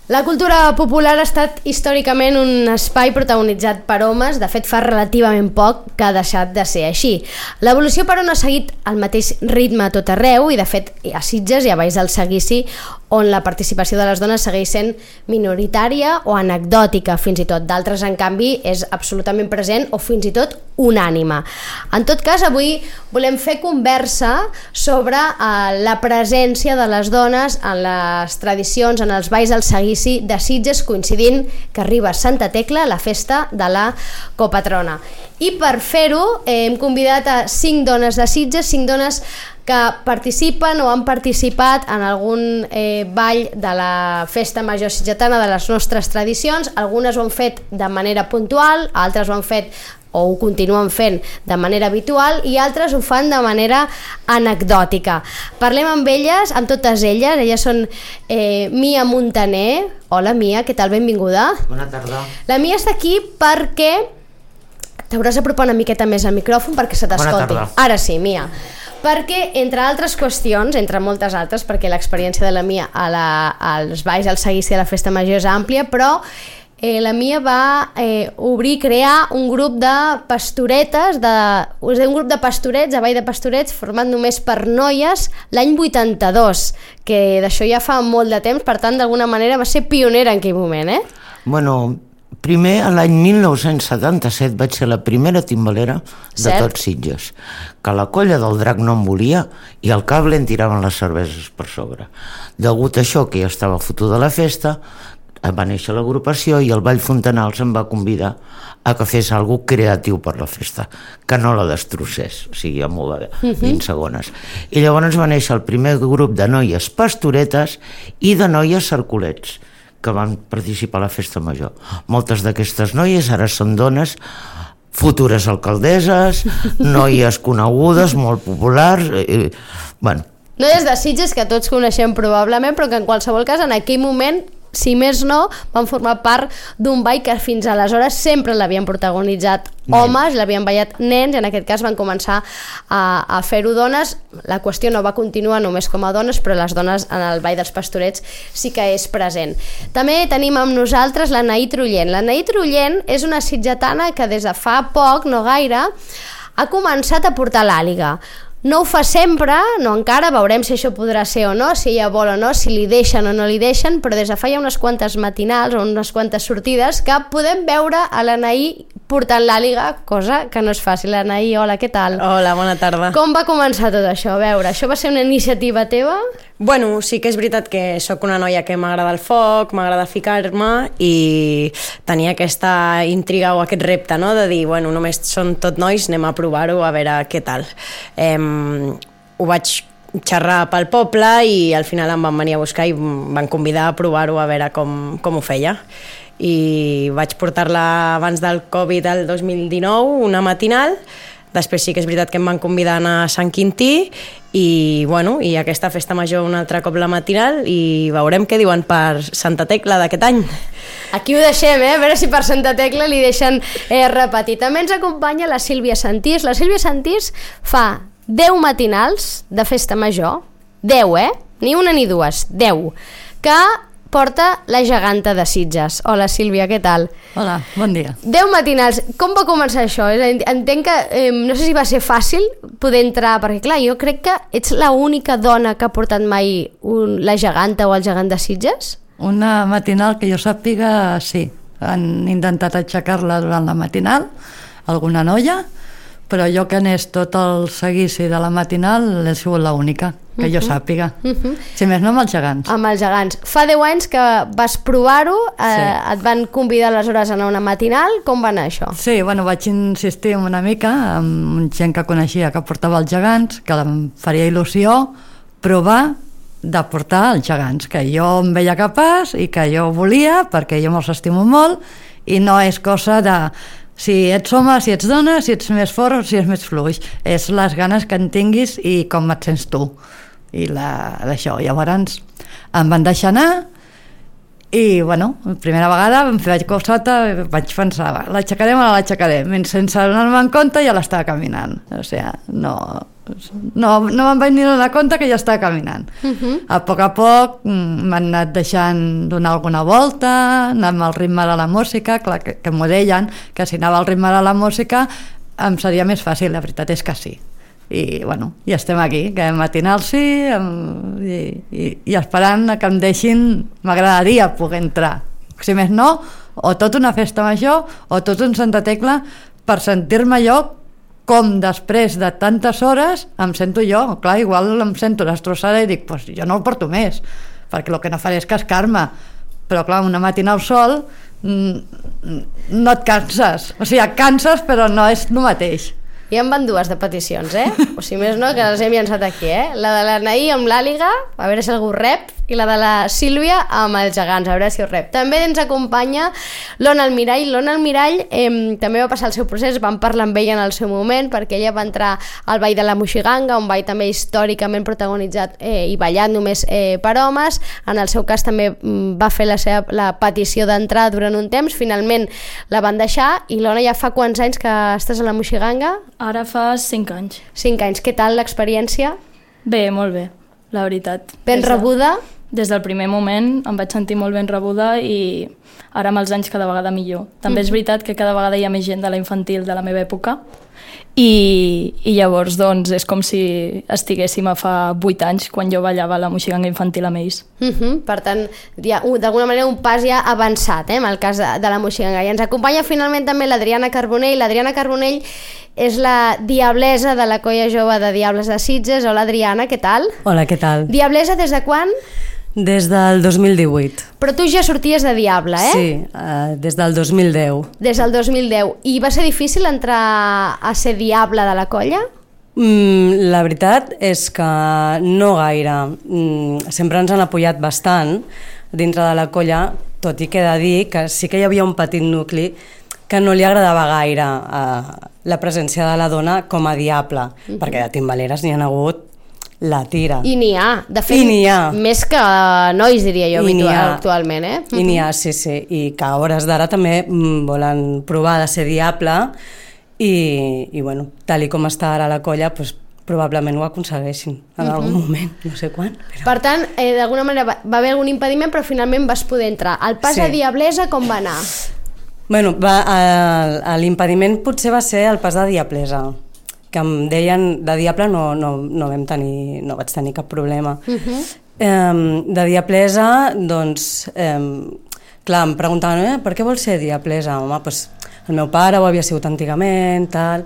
La cultura popular ha estat històricament un espai protagonitzat per homes, de fet fa relativament poc que ha deixat de ser així. L'evolució però no ha seguit el mateix ritme a tot arreu i de fet a Sitges i a Valls del Seguici on la participació de les dones segueix sent minoritària o anecdòtica fins i tot. D'altres, en canvi, és absolutament present o fins i tot unànime. En tot cas, avui volem fer conversa sobre la presència de les dones en les tradicions, en els balls del Seguici de Sitges, coincidint que arriba Santa Tecla, la festa de la copatrona. I per fer-ho hem convidat a 5 dones de Sitges, 5 dones que participen o han participat en algun ball de la festa major sitgetana de les nostres tradicions. Algunes ho han fet de manera puntual, altres ho han fet o ho continuen fent de manera habitual i altres ho fan de manera anecdòtica. Parlem amb elles, amb totes elles. Elles són Mia Montaner. Hola Mia, què tal? Benvinguda. Bona tarda. La Mia està aquí perquè t'hauràs d'apropar una miqueta més al micròfon perquè se t'escolti. Bona tarda. Ara sí, Mia. Perquè, entre altres qüestions, entre moltes altres, perquè l'experiència de la Mia als balls del Seguici de la Festa Major és àmplia, però la Mia va crear un grup de pastoretes, un grup de pastorets, de ball de pastorets, format només per noies, l'any 82, que d'això ja fa molt de temps, per tant, d'alguna manera va ser pionera en aquell moment, eh? Bueno, primer, l'any 1977 vaig ser la primera timbalera de tot Sitges, que la colla del Drac no em volia i al cable en tiraven les cerveses per sobre. Degut a això, que ja estava fotuda la festa, va néixer l'agrupació i el Ball Fontanals em va convidar a que fes alguna cosa creatiu per la festa, que no la destrossés, o sigui, amb 20 segones. I llavors va néixer el primer grup de noies pastoretes i de noies cercolets, que van participar a la festa major. Moltes d'aquestes noies ara són dones, futures alcaldesses, noies conegudes, molt populars, bueno. Noies de Sitges que tots coneixem probablement, però que en qualsevol cas en aquell moment, si més no, van formar part d'un ball que fins aleshores sempre l'havien protagonitzat homes, l'havien ballat nens, i en aquest cas van començar a fer-ho dones. La qüestió no va continuar només com a dones, però les dones en el ball dels pastorets sí que és present. També tenim amb nosaltres l'Anaí Trullent. L'Anaí Trullent és una sitgetana que des de fa poc, no gaire, ha començat a portar l'àliga. No ho fa sempre, no encara, veurem si això podrà ser o no, si ella vol o no, si li deixen o no li deixen, però des de fa ja unes quantes matinals o unes quantes sortides que podem veure a l'Anaí portant l'àliga, cosa que no és fàcil. Anaí, hola, què tal? Hola, bona tarda. Com va començar tot això? A veure, això va ser una iniciativa teva? Bueno, sí que és veritat que sóc una noia que m'agrada el foc, m'agrada ficar-me i tenia aquesta intriga o aquest repte, no?, de dir, bueno, només són tot nois, anem a provar-ho a veure què tal. Ho vaig xerrar pel poble i al final em van venir a buscar i em van convidar a provar-ho a veure com ho feia. I vaig portar-la abans del Covid el 2019, una matinal. Després sí que és veritat que em van convidar a anar a Sant Quintí i, bueno, i aquesta festa major un altre cop la matinal i veurem què diuen per Santa Tecla d'aquest any. Aquí ho deixem, a veure si per Santa Tecla li deixen repetir. També ens acompanya la Sílvia Santís. La Sílvia Santís fa 10 matinals de festa major, 10, ni una ni dues, 10, que porta la geganta de Sitges. Hola Sílvia, què tal? Hola, bon dia. 10 matinals, com va començar això? Entenc que no sé si va ser fàcil poder entrar, perquè clar, jo crec que ets l'única dona que ha portat mai la geganta o el gegant de Sitges? Una matinal que jo sàpiga, sí. Han intentat aixecar-la durant la matinal, alguna noia, però jo que anés tot el seguici de la matinal he sigut l'única, que jo sàpiga. Si més no, amb els gegants. Amb els gegants. Fa 10 anys que vas provar-ho, et van convidar aleshores a anar a una matinal, com va anar això? Sí, bueno, vaig insistir una mica amb gent que coneixia que portava els gegants, que em faria il·lusió provar de portar els gegants, que jo em veia capaç i que jo volia, perquè jo me'ls estimo molt, i no és cosa de si ets home, si ets dona, si ets més fort o si ets més fluix. És les ganes que en tinguis i com et sents tu. I d'això. Llavors em van deixar anar i, bueno, primera vegada em vaig cosata, vaig pensar, l'aixecarem o no l'aixecarem? Sense donar-me en compte ja l'estava caminant. O sigui, no no me'n vaig ni donar compte que ja estava caminant. A poc m'han anat deixant donar alguna volta, anar amb el ritme de la música, clar, que m'ho deien, que si anava al ritme de la música em seria més fàcil, la veritat és que sí. I bueno, ja estem aquí, que matinal sí, i esperant que em deixin, m'agradaria poder entrar, si més no, o tot una festa major o tot un Santa Tecla, per sentir-me jo com després de tantes hores em sento jo. Clar, igual em sento destrossada i dic, pues jo no el porto més, perquè el que no faré és cascar-me, però clar, una matina al sol no et canses, o sigui, et canses però no és el mateix. Ja en van dues de peticions, o si més no, que les hem llançat aquí, la de la Naí amb l'Àliga, a veure si algú rep, i la de la Sílvia amb els gegants, a veure si ho rep. També ens acompanya l'Ona Almirall. L'Ona Almirall també va passar el seu procés, vam parlar amb ella en el seu moment, perquè ella va entrar al Ball de la Moixiganga, un ball també històricament protagonitzat i ballat només per homes. En el seu cas també va fer la petició d'entrar durant un temps, finalment la van deixar. I l'Ona, ja fa quants anys que estàs a la Moixiganga? Ara fa 5 anys. 5 anys. Què tal l'experiència? Bé, molt bé, la veritat. Ben rebuda? Des del primer moment em vaig sentir molt ben rebuda i ara amb els anys cada vegada millor. També és veritat que cada vegada hi ha més gent de la infantil de la meva època i llavors doncs és com si estiguéssim a fa 8 anys quan jo ballava la moixiganga infantil amb ells. Per tant, d'alguna manera un pas ja avançat en el cas de la moixiganga. I ens acompanya finalment també l'Adriana Carbonell. L'Adriana Carbonell és la diablesa de la colla jove de Diables de Sitges. Hola Adriana, què tal? Hola, què tal? Diablesa des de quan? Des del 2018. Però tu ja sorties de Diable, Sí, des del 2010. Des del 2010. I va ser difícil entrar a ser diable de la colla? La veritat és que no gaire. Sempre ens han apoyat bastant dintre de la colla, tot i que he de dir que sí que hi havia un petit nucli que no li agradava gaire la presència de la dona com a diable, perquè de timbaleres n'hi ha hagut la tira. I n'hi ha, de fet, més que nois, diria jo, actualment, I n'hi ha, sí, i que a hores d'ara també volen provar de ser diable i bueno, tal i com està ara la colla, doncs probablement ho aconsegueixin en algun moment, no sé quan. Però... Per tant, d'alguna manera va haver algun impediment, però finalment vas poder entrar. El pas a Diablesa com va anar? Bueno, l'impediment potser va ser el pas de Diablesa, que em deien de diable no vaig tenir cap problema. De diablesa, doncs, clar, em preguntaven, per què vols ser diablesa? Home, doncs el meu pare ho havia sigut antigament, tal,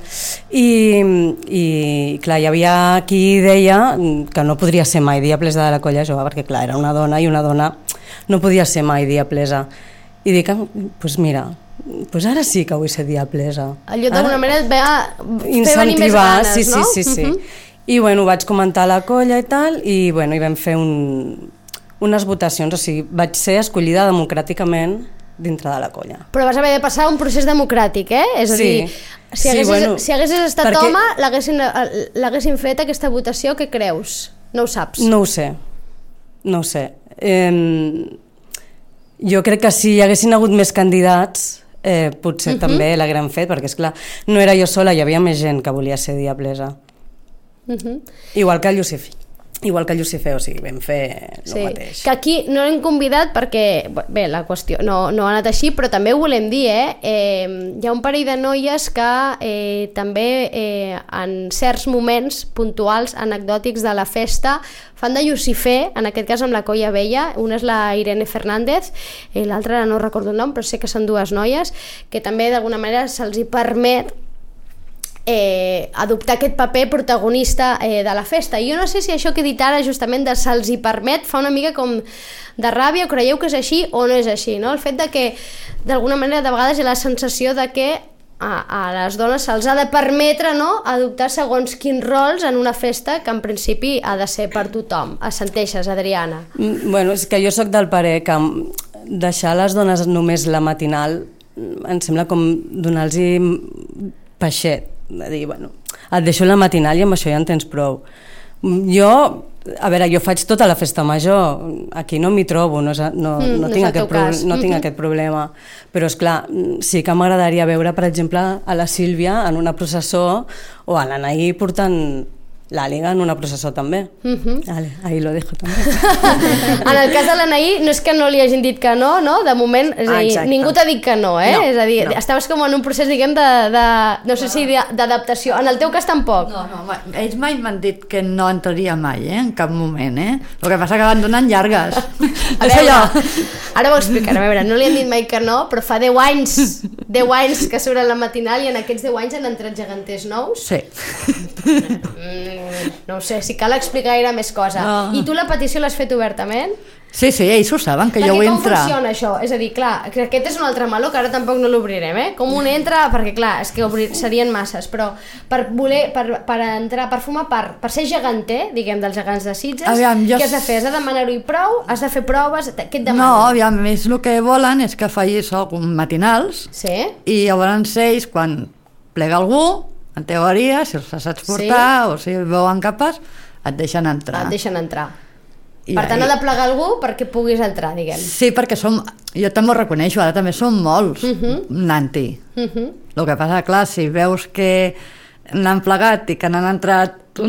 i clar, hi havia qui deia que no podria ser mai diablesa de la colla jove, perquè clar, era una dona i una dona no podia ser mai diablesa. I dic, doncs mira, pues ara sí que vull ser diablesa. Allò d'alguna manera et va fer venir més ganes, no? Sí. I bueno, vaig comentar a la colla i tal, i bueno, hi vam fer unes votacions, o sigui, vaig ser escollida democràticament dintre de la colla. Però vas haver de passar un procés democràtic, És a dir, si haguessis estat home, l'haguessin fet aquesta votació, què creus? No ho saps? No ho sé. Jo crec que si hi haguessin hagut més candidats potser també l'hagueren fet, perquè esclar, no era jo sola, hi havia més gent que volia ser diablesa. Igual que Llucifer, o sigui, vam fer el mateix. Que aquí no l'hem convidat perquè, bé, la qüestió no ha anat així, però també ho volem dir, hi ha un parell de noies que també en certs moments puntuals, anecdòtics de la festa, fan de Llucifer, en aquest cas amb la colla vella. Una és la Irene Fernández, l'altra no recordo el nom, però sé que són dues noies, que també d'alguna manera se'ls hi permet adoptar aquest paper protagonista de la festa. I jo no sé si això que he dit ara justament de se'ls hi permet fa una mica com de ràbia, creieu que és així o no és així, no? El fet de que d'alguna manera de vegades hi ha la sensació de que a les dones se'ls ha de permetre, no?, adoptar segons quins rols en una festa que en principi ha de ser per tothom. Assenteixes, Adriana? Bueno, és que jo sóc del parer que deixar les dones només la matinal em sembla com donar-los peixet, de dir, bueno, et deixo la matinal i amb això ja en tens prou. Jo faig tota la festa major, aquí no m'hi trobo, no tinc aquest problema, però esclar, sí que m'agradaria veure, per exemple, a la Sílvia en una processó o a l'Anaí portant La Liga en una processó també. Vale, ahí lo dejo també. En el cas de l'Anaí, no és que no li hagin dit que no, no? De moment, és a dir, ningú t'ha dit que no, eh? No, és a dir, no. estaves com en un procés, diguem, no sé si d'adaptació. En el teu cas tampoc. No, ells mai m'han dit que no entraria mai, en cap moment, El que passa que van donant llargues. És allò. Ara ho explicaré, a veure, no li han dit mai que no, però fa 10 anys que surt a la matinal i en aquests 10 anys han entrat geganters nous. Sí. No ho sé, si cal explicar gaire més cosa. No. I tu la petició l'has fet obertament? Sí, ells ho saben, que jo vull entrar. Com funciona això? És a dir, clar, que aquest és un altre meló que ara tampoc no l'obrirem, Com un entra, perquè clar, és que serien masses, però per entrar, per formar part, per ser geganter, diguem, dels gegants de Sitges, què has de fer? Has de demanar-ho i prou? Has de fer proves? Què et demanen? No, aviam, més el que volen és que facis matinals, i llavors ells, quan plega algú, en teoria, si els saps portar o si veuen capaç, et deixen entrar. Per tant, ha de plegar algú perquè puguis entrar, diguem. Sí, perquè jo també ho reconeixo, ara també som molts nanti. El que passa, clar, si veus que n'han plegat i que n'han entrat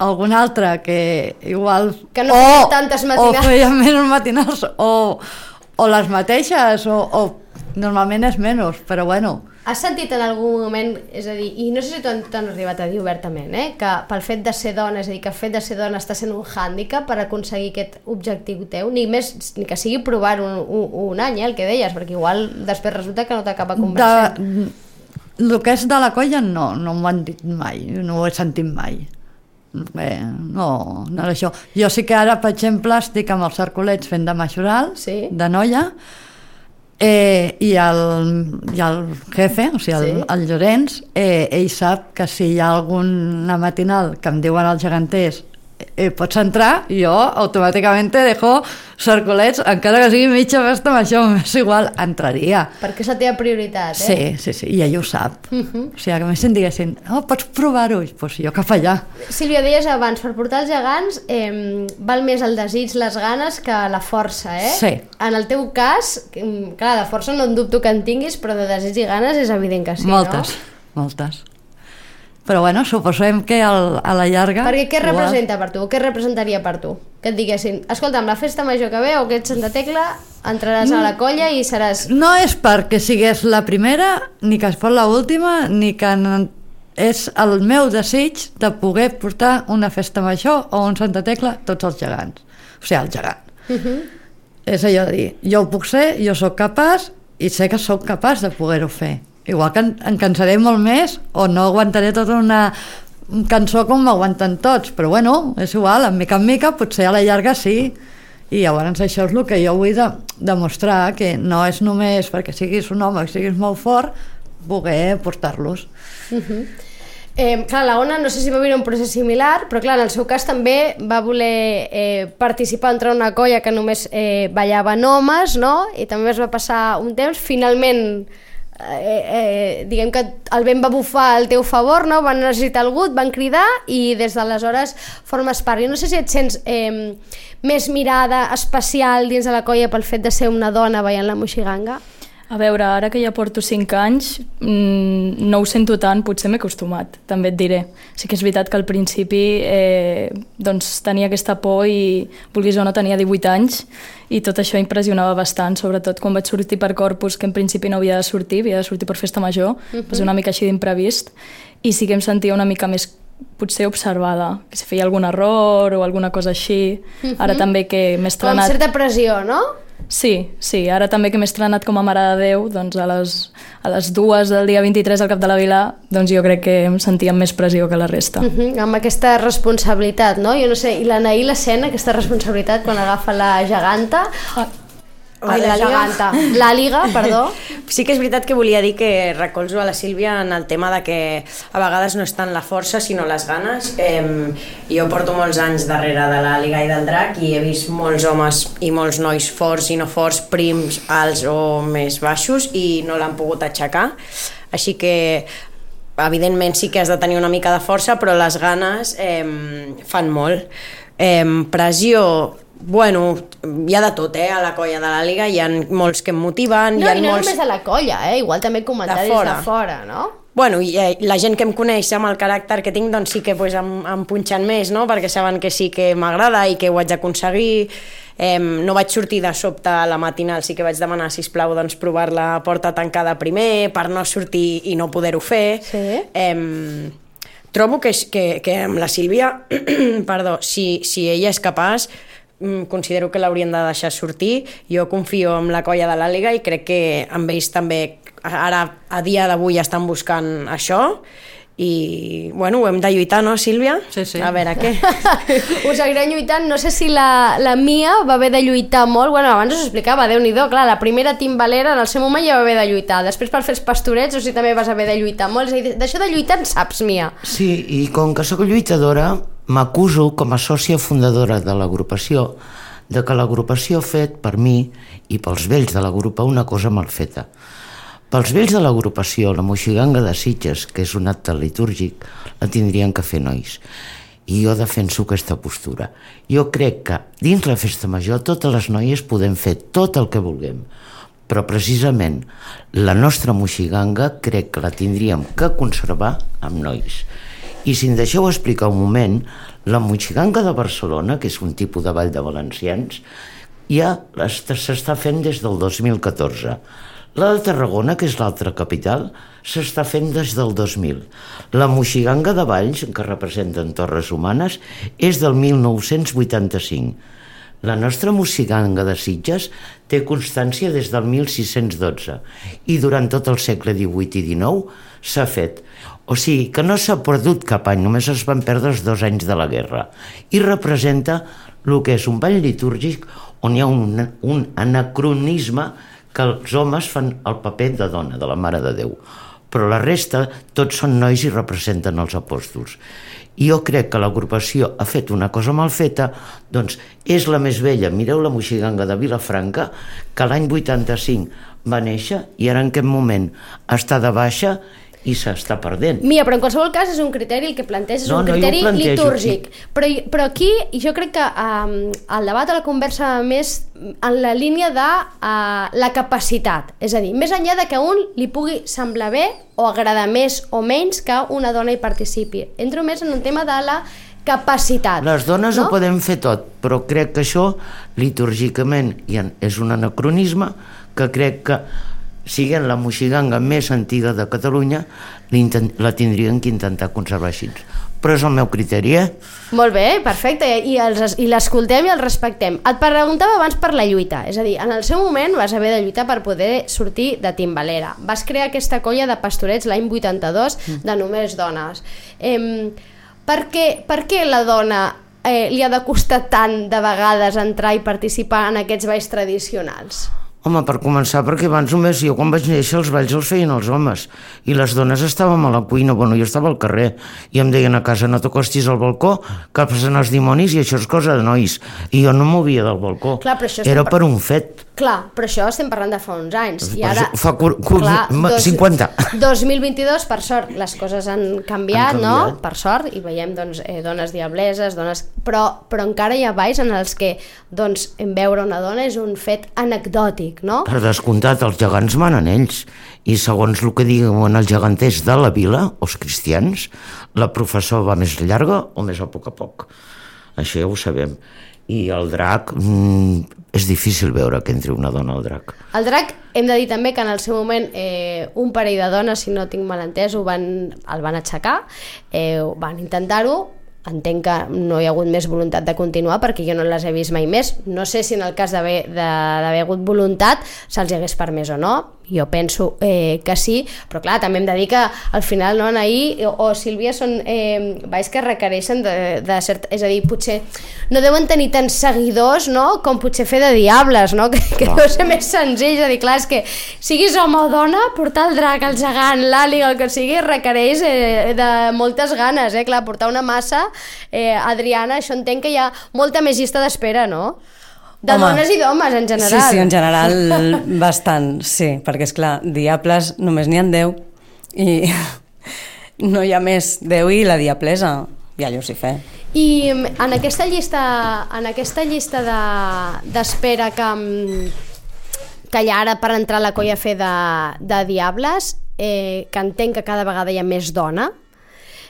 algun altre que igual... Que no feia tantes matinals. O feia menys matinals, o les mateixes, o normalment és menys, però bueno... Has sentit en algun moment, és a dir, i no sé si t'han arribat a dir obertament, que pel fet de ser dona, és a dir, que el fet de ser dona està sent un hàndicap per aconseguir aquest objectiu teu, ni que sigui provar un any, el que deies, perquè igual després resulta que no t'acaba conversant. El que és de la colla no m'ho han dit mai, no ho he sentit mai. No és això. Jo sí que ara, per exemple, estic amb els Cercolets fent de majoral, de noia, i el jefe, o sigui el Llorenç, ell sap que si hi ha alguna matinal que em diuen els geganters pots entrar, jo automàticament dejo Cercolets, encara que sigui mitja festa amb això, m'és igual, entraria. Perquè és la teva prioritat, Sí, i ell ho sap. O sigui, que més si em diguessin, pots provar-ho, doncs jo cap allà. Sílvia, deies abans, per portar els gegants val més el desig, les ganes, que la força, Sí. En el teu cas, clar, de força no en dubto que en tinguis, però de desig i ganes és evident que sí, Moltes. Però bueno, suposem que a la llarga... Perquè què representa per tu? Què representaria per tu? Que et diguessin, escolta, amb la festa major que ve o que ets Santa Tecla, entraràs a la colla i seràs... No és perquè sigués la primera, ni que es fos l'última, ni que és el meu desig de poder portar una festa major o un Santa Tecla tots els gegants. O sigui, el gegant. És allò de dir, jo ho puc ser, jo sóc capaç i sé que sóc capaç de poder-ho fer. Igual que em cansaré molt més o no aguantaré tota una cançó com m'aguanten tots, però bueno, és igual, en mica potser a la llarga sí, i llavors això és el que jo vull demostrar, que no és només perquè siguis un home, que siguis molt fort, poder portar-los. Clar, la Ona no sé si va viure un procés similar, però clar, en el seu cas també va voler participar, entrar en una colla que només ballaven homes, no? I també es va passar un temps, finalment diguem que el vent va bufar al teu favor, no? Van necessitar algú, et van cridar i des d'aleshores formes part. Jo no sé si et sents més mirada especial dins de la colla pel fet de ser una dona ballant la moixiganga. A veure, ara que ja porto 5 anys, no ho sento tant, potser m'he acostumat, també et diré. Sí que és veritat que al principi doncs, tenia aquesta por i, vulguis o no, tenia 18 anys i tot això impressionava bastant, sobretot quan vaig sortir per Corpus, que en principi no havia de sortir per festa major, va ser una mica així d'imprevist, i sí que em sentia una mica més potser observada, que si feia algun error o alguna cosa així. Ara també que m'he estrenat... Com certa pressió, no? Sí, ara també que m'he estrenat com a Mare de Déu, doncs a les 2 del dia 23 al Cap de la Vila, doncs jo crec que em sentia amb més pressió que la resta. Amb aquesta responsabilitat, no? Jo no sé, i l'Anaí la sent, aquesta responsabilitat quan agafa la geganta... La Liga, perdó. Sí que és veritat que volia dir que recolzo a la Sílvia en el tema de que a vegades no és tant la força sinó les ganes. Jo porto molts anys darrere de la Liga i del Drac i he vist molts homes i molts nois forts i no forts, prims, alts o més baixos, i no l'han pogut aixecar, així que evidentment sí que has de tenir una mica de força, però les ganes fan molt. Pressió, bueno, hi ha de tot, a la colla de la Liga, hi ha molts que em motiven, no, hi ha i no molts... només de la colla, igual també comentaris de fora, no? Bueno, i la gent que em coneix amb el caràcter que tinc, doncs sí que pues, em punxen més, no? Perquè saben que sí que m'agrada i que ho haig d'aconseguir. No vaig sortir de sobte a la matinal, sí que vaig demanar, sisplau, doncs, provar la porta tancada primer per no sortir i no poder-ho fer. Sí. Trobo que amb la Sílvia, perdó, si ella és capaç, considero que l'haurien de deixar sortir. Jo confio en la colla de l'Àliga i crec que amb ells també ara, a dia d'avui, estan buscant això. I, bueno, ho hem de lluitar, no, Sílvia? Sí, sí. A veure, què? Us seguirem lluitant. No sé si la Mia va haver de lluitar molt. Bueno, abans us explicava, Déu-n'hi-do, clar, la primera timbalera en el seu moment ja va haver de lluitar. Després per fer els pastorets, o sigui, també vas haver de lluitar molt. És a dir, d'això de lluitar en saps, Mia. Sí, i com que sóc lluitadora, m'acuso com a sòcia fundadora de l'agrupació de que l'agrupació ha fet per mi i pels vells de l'agrupa una cosa mal feta. Pels vells de l'agrupació, la moixiganga de Sitges, que és un acte litúrgic, la tindrien que fer nois. I jo defenso aquesta postura. Jo crec que dins la festa major totes les noies podem fer tot el que vulguem, però precisament la nostra moixiganga crec que la tindríem que conservar amb nois. I si em deixeu explicar un moment, la moixiganga de Barcelona, que és un tipus de ball de valencians, ja s'està fent des del 2014. La de Tarragona, que és l'altra capital, s'està fent des del 2000. La moixiganga de Valls, que representen Torres Humanes, és del 1985. La nostra moixiganga de Sitges té constància des del 1612 i durant tot el segle XVIII i XIX s'ha fet. O sigui que no s'ha perdut cap any, només es van perdre els 2 anys de la guerra. I representa el que és un ball litúrgic on hi ha un anacronisme que els homes fan el paper de dona, de la Mare de Déu. Però la resta, tots són nois i representen els apòstols. I jo crec que l'agrupació ha fet una cosa mal feta, doncs és la més vella. Mireu la moixiganga de Vilafranca, que l'any 85 va néixer i ara en aquest moment està de baixa i s'està perdent. Mia, però en qualsevol cas és un criteri el que planteges, és un criteri litúrgic. Però aquí jo crec que el debat a la conversa més en la línia de la capacitat. És a dir, més enllà de que a un li pugui semblar bé o agradar més o menys que una dona hi participi. Entro més en un tema de la capacitat. Les dones ho podem fer tot, però crec que això litúrgicament és un anacronisme que crec que siguent la moixiganga més antiga de Catalunya, la tindrien que intentar conservar així. Però és el meu criteri, Molt bé, perfecte, i l'escoltem i el respectem. Et preguntava abans per la lluita, és a dir, en el seu moment vas haver de lluitar per poder sortir de timbalera. Vas crear aquesta colla de pastorets l'any 82 de només dones. Per què la dona li ha de costar tant de vegades entrar i participar en aquests balls tradicionals? Home, per començar, perquè abans només jo quan vaig néixer els balls els feien els homes i les dones estàvem a la cuina, bueno, jo estava al carrer i em deien a casa no t'acostis al balcó que passen els dimonis i això és cosa de nois i jo no movia del balcó. Clar, era per un fet. Clar, però això estem parlant de fa uns anys i ara, fa 50. 2022, per sort, les coses han canviat, no? Per sort, i veiem doncs, dones diableses, però encara hi ha balls en els que doncs, veure una dona és un fet anecdòtic, no? Per descomptat, els gegants manen ells i segons el que diuen els geganters de la vila, els cristians, la professó va més llarga o més a poc. Això ja ho sabem. I el drac, és difícil veure que entri una dona al drac. El drac, hem de dir també que en el seu moment un parell de dones, si no tinc mal entès, el van aixecar, van intentar-ho. Entenc que no hi ha hagut més voluntat de continuar perquè jo no les he vist mai més. No sé si en el cas d'haver hagut voluntat se'ls hagués permès o no. Jo penso que sí, però clar, també hem de dir que al final Anaí o Sílvia són balls que requereixen de cert... És a dir, potser no deuen tenir tants seguidors, no?, com potser fer de diables, no?, que deu ser més senzill. És a dir, clar, és que siguis home o dona, portar el drac, el gegant, l'àliga, el que sigui, requereix de moltes ganes, clar, portar una massa, Adriana, això entenc que hi ha molta més llista d'espera, no?, de dones i d'homes, en general. Sí, en general, bastant, sí, perquè, esclar, diables només n'hi ha 10 i no hi ha més 10 i la diablesa i a Lucifer. I en aquesta llista d'espera que hi ha ara per entrar a la colla a fer de diables, que entenc que cada vegada hi ha més dona.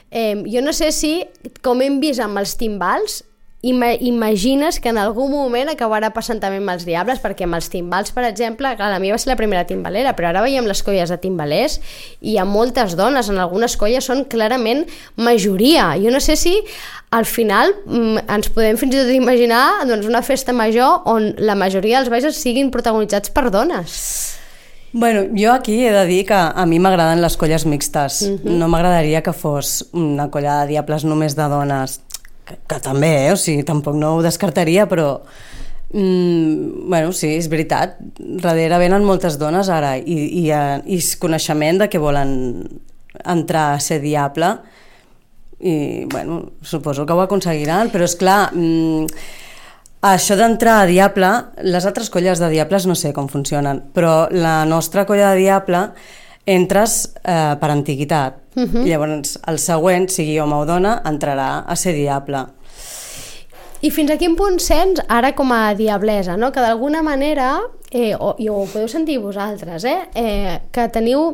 Jo no sé si, com hem vist amb els timbals, imagines que en algun moment acabarà passant també amb els diables, perquè amb els timbals, per exemple, clar, la meva va ser la primera timbalera, però ara veiem les colles de timbalers i hi ha moltes dones, en algunes colles són clarament majoria. Jo no sé si al final ens podem fins i tot imaginar una festa major on la majoria dels balls siguin protagonitzats per dones. Bueno, jo aquí he de dir que a mi m'agraden les colles mixtes. No m'agradaria que fos una colla de diables només de dones, que també, o sigui, tampoc no ho descartaria, però bueno, sí, és veritat, darrere venen moltes dones ara i coneixement de que volen entrar a ser diable i bueno, suposo que ho aconseguiran, però és clar, això d'entrar a diable, les altres colles de diables no sé com funcionen, però la nostra colla de diable entres per antiguitat. Llavors el següent, sigui home o dona, entrarà a ser diable. I fins a quin punt sents ara com a diablesa, no? Que d'alguna manera, i ho podeu sentir vosaltres, que teniu,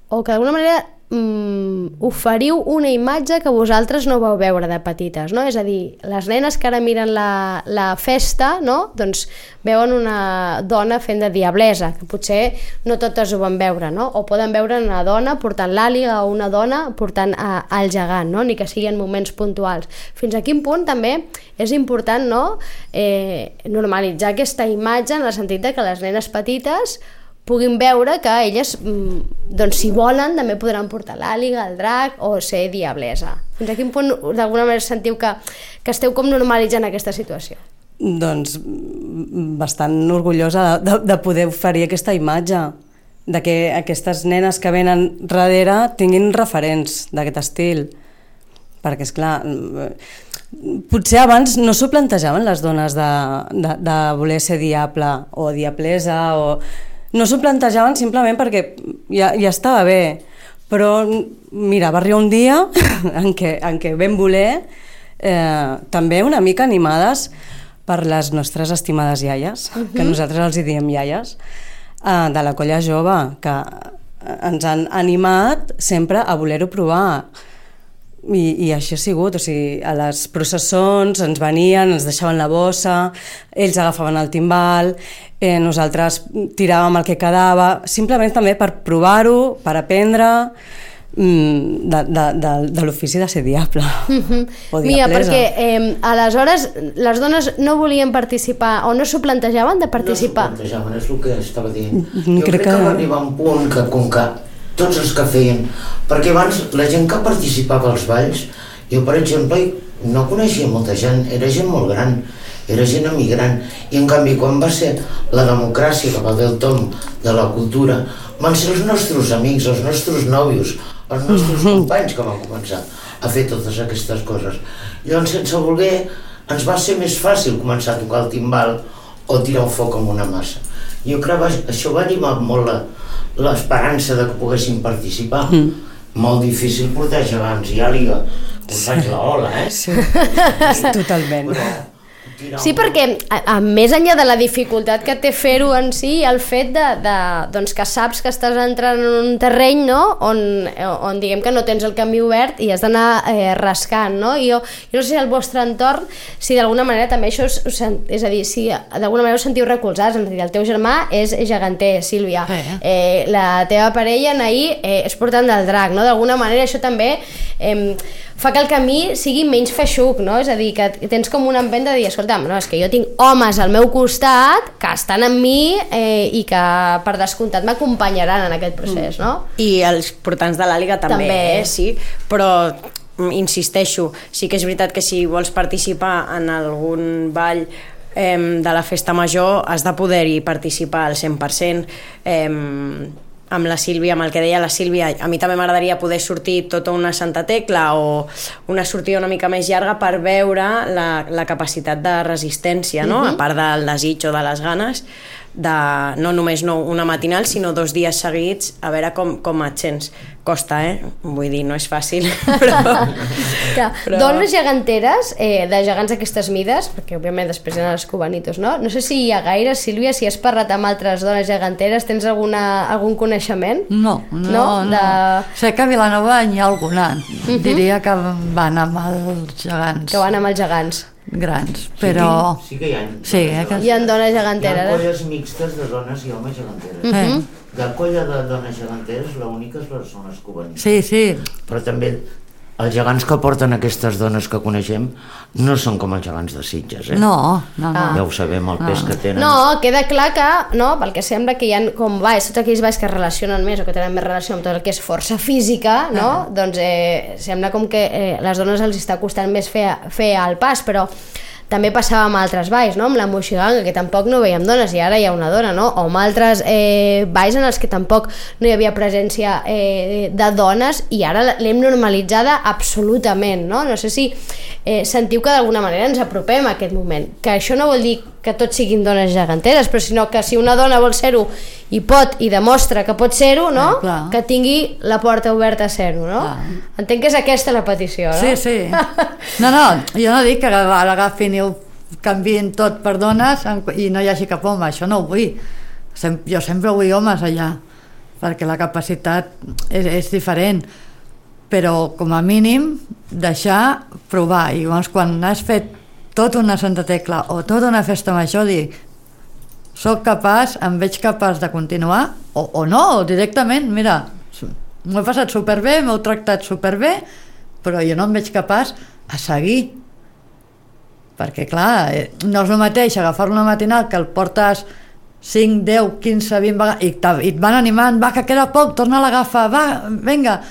o que d'alguna manera oferiu una imatge que vosaltres no vau veure de petites, no? És a dir, les nenes que ara miren la festa, no? Doncs veuen una dona fent de diablesa, que potser no totes ho van veure, no? O poden veure una dona portant l'àliga o una dona portant el gegant, no? Ni que siguin moments puntuals. Fins a quin punt també és important, no? Normalitzar aquesta imatge en el sentit de que les nenes petites puguin veure que elles, doncs, si volen, també podran portar l'àliga, el drac o ser diablesa. Fins a quin punt, d'alguna manera, sentiu que esteu com normalitzant aquesta situació? Doncs bastant orgullosa de poder oferir aquesta imatge, de que aquestes nenes que venen darrere tinguin referents d'aquest estil. Perquè, esclar, potser abans no s'ho plantejaven les dones de voler ser diable o diablesa o... No s'ho plantejaven simplement perquè ja estava bé, però mira, va arribar un dia en què vam voler, també una mica animades per les nostres estimades iaies, que nosaltres els hi diem iaies, de la colla jove, que ens han animat sempre a voler-ho provar. I així ha sigut, o sigui, a les processons ens venien, ens deixaven la bossa, ells agafaven el timbal, nosaltres tiràvem el que quedava, simplement també per provar-ho, per aprendre de l'ofici de ser diable o diablesa. Mira, perquè aleshores les dones no volien participar o no s'ho plantejaven de participar? No s'ho plantejaven, és el que estava dient. Jo crec que va arribar un punt que, com que tots els que feien, perquè abans la gent que participava als balls, jo per exemple no coneixia molta gent, era gent molt gran, era gent emigrant, i en canvi quan va ser la democràcia que va del tom de la cultura, van ser els nostres amics, els nostres nòvios, els nostres companys que van començar a fer totes aquestes coses. Llavors, sense voler, ens va ser més fàcil començar a tocar el timbal o tirar un foc amb una massa. Jo crec que això va animar molt l'esperança de que poguessin participar. Molt difícil portar gegants i àliga, us faig la ola, Sí, totalment. Sí, perquè més enllà de la dificultat que té fer-ho en si, el fet doncs que saps que estàs entrant en un terreny, no? on diguem que no tens el camí obert i has d'anar rascant, no? Jo no sé si al vostre entorn, si d'alguna manera també això és a dir, si d'alguna manera us sentiu recolzats, és a dir, el teu germà és geganter, Sílvia, la teva parella, Naí, és portant del drac, no? D'alguna manera això també fa que el camí sigui menys feixuc, no? És a dir, que tens com una empenta de dir, escolta'm, no, és que jo tinc homes al meu costat que estan amb mi i que per descomptat m'acompanyaran en aquest procés, no? I els portants de l'àliga també. Sí, però insisteixo, sí que és veritat que si vols participar en algun ball de la festa major has de poder-hi participar al 100%. Amb la Sílvia, amb el que deia la Sílvia, a mi també m'agradaria poder sortir tota una Santa Tecla o una sortida una mica més llarga per veure la capacitat de resistència, no? A part del desig o de les ganes, no només una matinal, sinó 2 dies seguits, a veure com et sents. Costa, vull dir, no és fàcil, però... Dones geganteres, de gegants d'aquestes mides, perquè òbviament després eren els cubanitos, no? No sé si hi ha gaire, Sílvia, si has parlat amb altres dones geganteres, tens algun coneixement? No. Sé que a Vilanova hi ha alguna. Diria que van amb els gegants. Que van amb els gegants. Grans, però... Sí que hi ha. Hi ha dones geganteres. Hi ha colles mixtes de dones i homes geganteres. De colla de dones geganteres, l'única són les cubanites. Sí. Però també els gegants que porten aquestes dones que coneixem no són com els gegants de Sitges, No. Ja ho sabem, el pes que tenen. No, queda clar que, no, pel que sembla que hi ha com balls, tots aquells balls que es relacionen més o que tenen més relació amb tot el que és força física, no? Doncs sembla com que les dones els està costant més fer el pas, però també passava amb altres balls, no? Amb la moixiganga, que tampoc no veiem dones, i ara hi ha una dona, no? O amb altres balls en els que tampoc no hi havia presència de dones, i ara l'hem normalitzada absolutament, no? No sé si sentiu que d'alguna manera ens apropem a aquest moment, que això no vol dir que tots siguin dones geganteres, però sinó que si una dona vol ser-ho i pot i demostra que pot ser-ho, no? Que tingui la porta oberta a ser-ho, no? Entenc que és aquesta la petició, no? Sí. No, jo no dic que l'agafin i ho canviïn tot per dones i no hi hagi cap home, això no ho vull. Jo sempre vull homes allà, perquè la capacitat és diferent, però com a mínim deixar provar, i llavors quan has fet tota una Santa Tecla o tota una festa major, dic, soc capaç, em veig capaç de continuar o no, o directament, mira, m'ho he passat superbé, m'heu tractat superbé, però jo no em veig capaç a seguir, perquè clar, no és el mateix agafar una matinal que el portes 5, 10, 15, 20 vegades i et van animant, va, que queda poc, torna a l'agafar, va, vinga.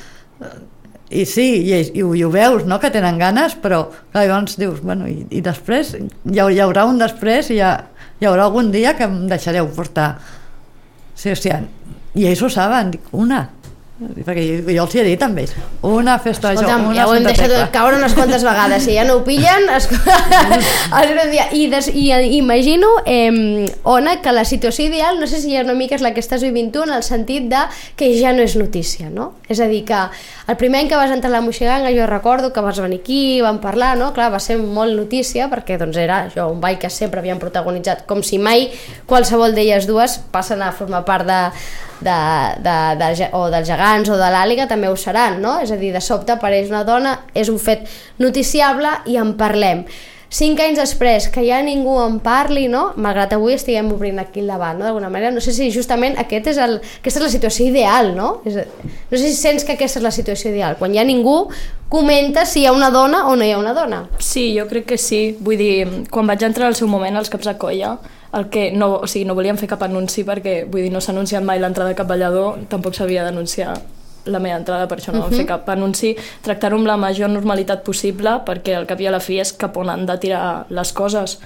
I sí, i ho veus, no?, que tenen ganes, però clar, llavors dius, bueno, i després hi haurà un després, i hi haurà algun dia que em deixareu portar. Sí, i ells ho saben, dic, una, perquè jo els hi he dit amb ells, una festa major, Escolta'm, una ja ho hem Santa deixat Tecla. caure unes quantes vegades, si ja no ho pillen i imagino, Ona, que la situació ideal, no sé si una mica és la que estàs vivint tu, en el sentit de que ja no és notícia, no? És a dir, que el primer any que vas entrar a la moixiganga, jo recordo que vas venir aquí, vam parlar, no? Clar, va ser molt notícia, perquè doncs era això, un ball que sempre havien protagonitzat, com si mai qualsevol d'elles dues passen a formar part o dels gegants o de l'àliga, també ho seran, no? És a dir, de sobte apareix una dona, és un fet noticiable i en parlem. 5 anys després, que ja ningú en parli, no? Malgrat avui estiguem obrint aquí el debat, no? D'alguna manera, no sé si justament aquesta és la situació ideal, no? No sé si sents que aquesta és la situació ideal, quan ja ningú comenta si hi ha una dona o no hi ha una dona. Sí, jo crec que sí. Vull dir, quan vaig entrar al seu moment als caps de colla, no volíem fer cap anunci perquè, vull dir, no s'ha anunciat mai l'entrada de cap ballador, tampoc s'havia d'anunciar la meva entrada, per això no vam fer cap anunci, tractar-ho amb la major normalitat possible, perquè al cap i a la fi és cap on han de tirar les coses.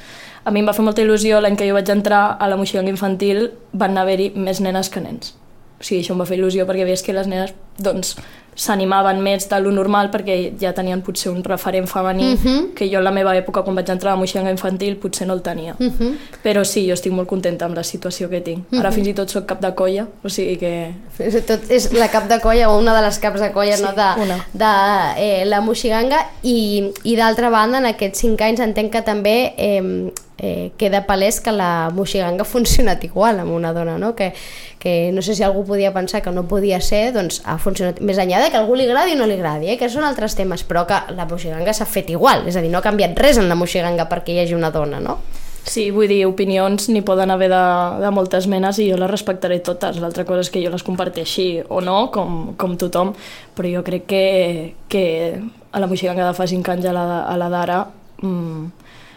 A mi em va fer molta il·lusió, l'any que jo vaig entrar a la moixiganga infantil van haver-hi més nenes que nens. O sigui, això em va fer il·lusió perquè veies que les nenes, doncs, s'animaven més de lo normal perquè ja tenien potser un referent femení que jo en la meva època, quan vaig entrar a la moixiganga infantil, potser no el tenia. Però sí, jo estic molt contenta amb la situació que tinc. Ara fins i tot soc cap de colla, o sigui que... Tot és la cap de colla o una de les caps de colla, sí, no? de la moixiganga, i d'altra banda, en aquests 5 anys entenc que també queda palès que la moixiganga ha funcionat igual amb una dona, no? Que no sé si algú podia pensar que no podia ser, doncs ha funcionat, més enllà de que a algú li agradi o no li agradi, que són altres temes, però que la moixiganga s'ha fet igual, és a dir, no ha canviat res en la moixiganga perquè hi hagi una dona, no? Sí, vull dir, opinions n'hi poden haver de moltes menes i jo les respectaré totes. L'altra cosa és que jo les comparteixi o no, com tothom, però jo crec que a la moixiganga de fa 5 anys a la d'ara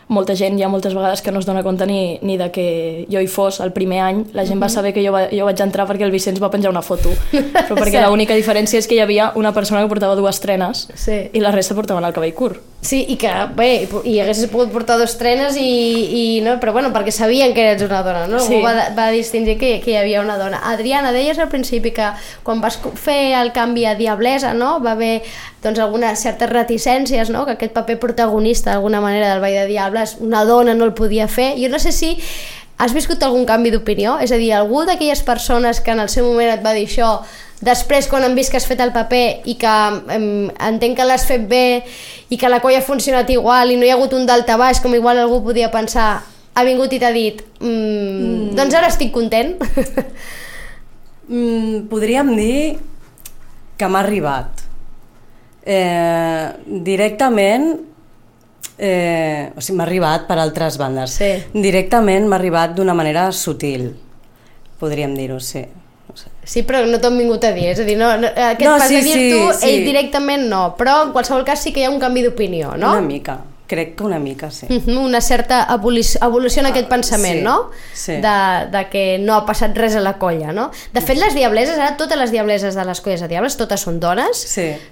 molta gent, hi ha moltes vegades que no es dona compte ni de que jo hi fos el primer any. La gent va saber que jo vaig entrar perquè el Vicenç va penjar una foto, però perquè l'única diferència és que hi havia una persona que portava 2 trenes, sí, i la resta portaven el cabell curt. Sí, i que bé, hi haguessis pogut portar 2 trenes no, però bueno, perquè sabien que eres una dona, no? Sí. Algú va distingir que hi havia una dona. Adriana, deies al principi que quan vas fer el canvi a Diablesa, no, va haver doncs algunes certes reticències, no? Que aquest paper protagonista d'alguna manera del Ball de Diables una dona no el podia fer. Jo no sé si has viscut algun canvi d'opinió? És a dir, algú d'aquelles persones que en el seu moment et va dir això, després quan han vist que has fet el paper i que entenc que l'has fet bé i que la colla ha funcionat igual i no hi ha hagut un daltabaix com igual algú podia pensar, ha vingut i t'ha dit doncs ara estic content? Podríem dir que m'ha arribat directament, o sigui, m'ha arribat per altres bandes. Sí. Directament m'ha arribat d'una manera sutil, podríem dir-ho, sí. Sí, però no t'ho han vingut a dir, és a dir, aquest pas de dir tu, ell directament no, però en qualsevol cas sí que hi ha un canvi d'opinió, no? Una mica, crec que una mica, sí. Una certa evolució en aquest pensament, no? Sí. De que no ha passat res a la colla, no? De fet, les diableses, ara totes les diableses de les colles de diables, totes són dones,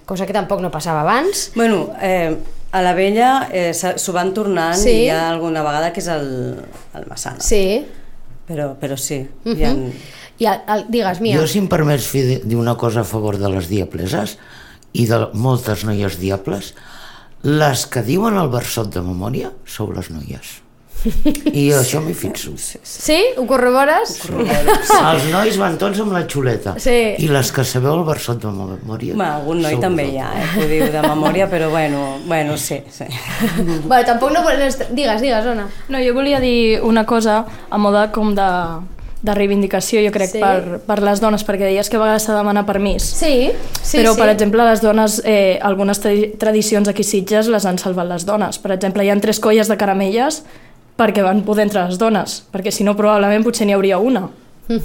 cosa que tampoc no passava abans. Bueno, a la Vella s'ho van tornant i hi ha alguna vegada que és el Massana. Sí. Però sí, digues, Mia. Jo, si em permets dir una cosa a favor de les diableses i de moltes noies diables, les que diuen el versot de memòria sou les noies. I això m'hi fixo. Sí? Ho corrobores? Els nois van tots amb la xuleta. I les que sabeu el versot de memòria... Algun noi també hi ha, que ho diu de memòria, però bueno, sí. Bueno, tampoc no vols... Digues, Ona. No, jo volia dir una cosa a moda com de reivindicació, jo crec, per les dones, perquè deies que a vegades s'ha de demanar permís. Sí. Però, per exemple, les dones, algunes tradicions aquí a Sitges les han salvat les dones. Per exemple, hi ha 3 colles de caramelles perquè van poder entrar les dones, perquè si no probablement potser n'hi hauria una,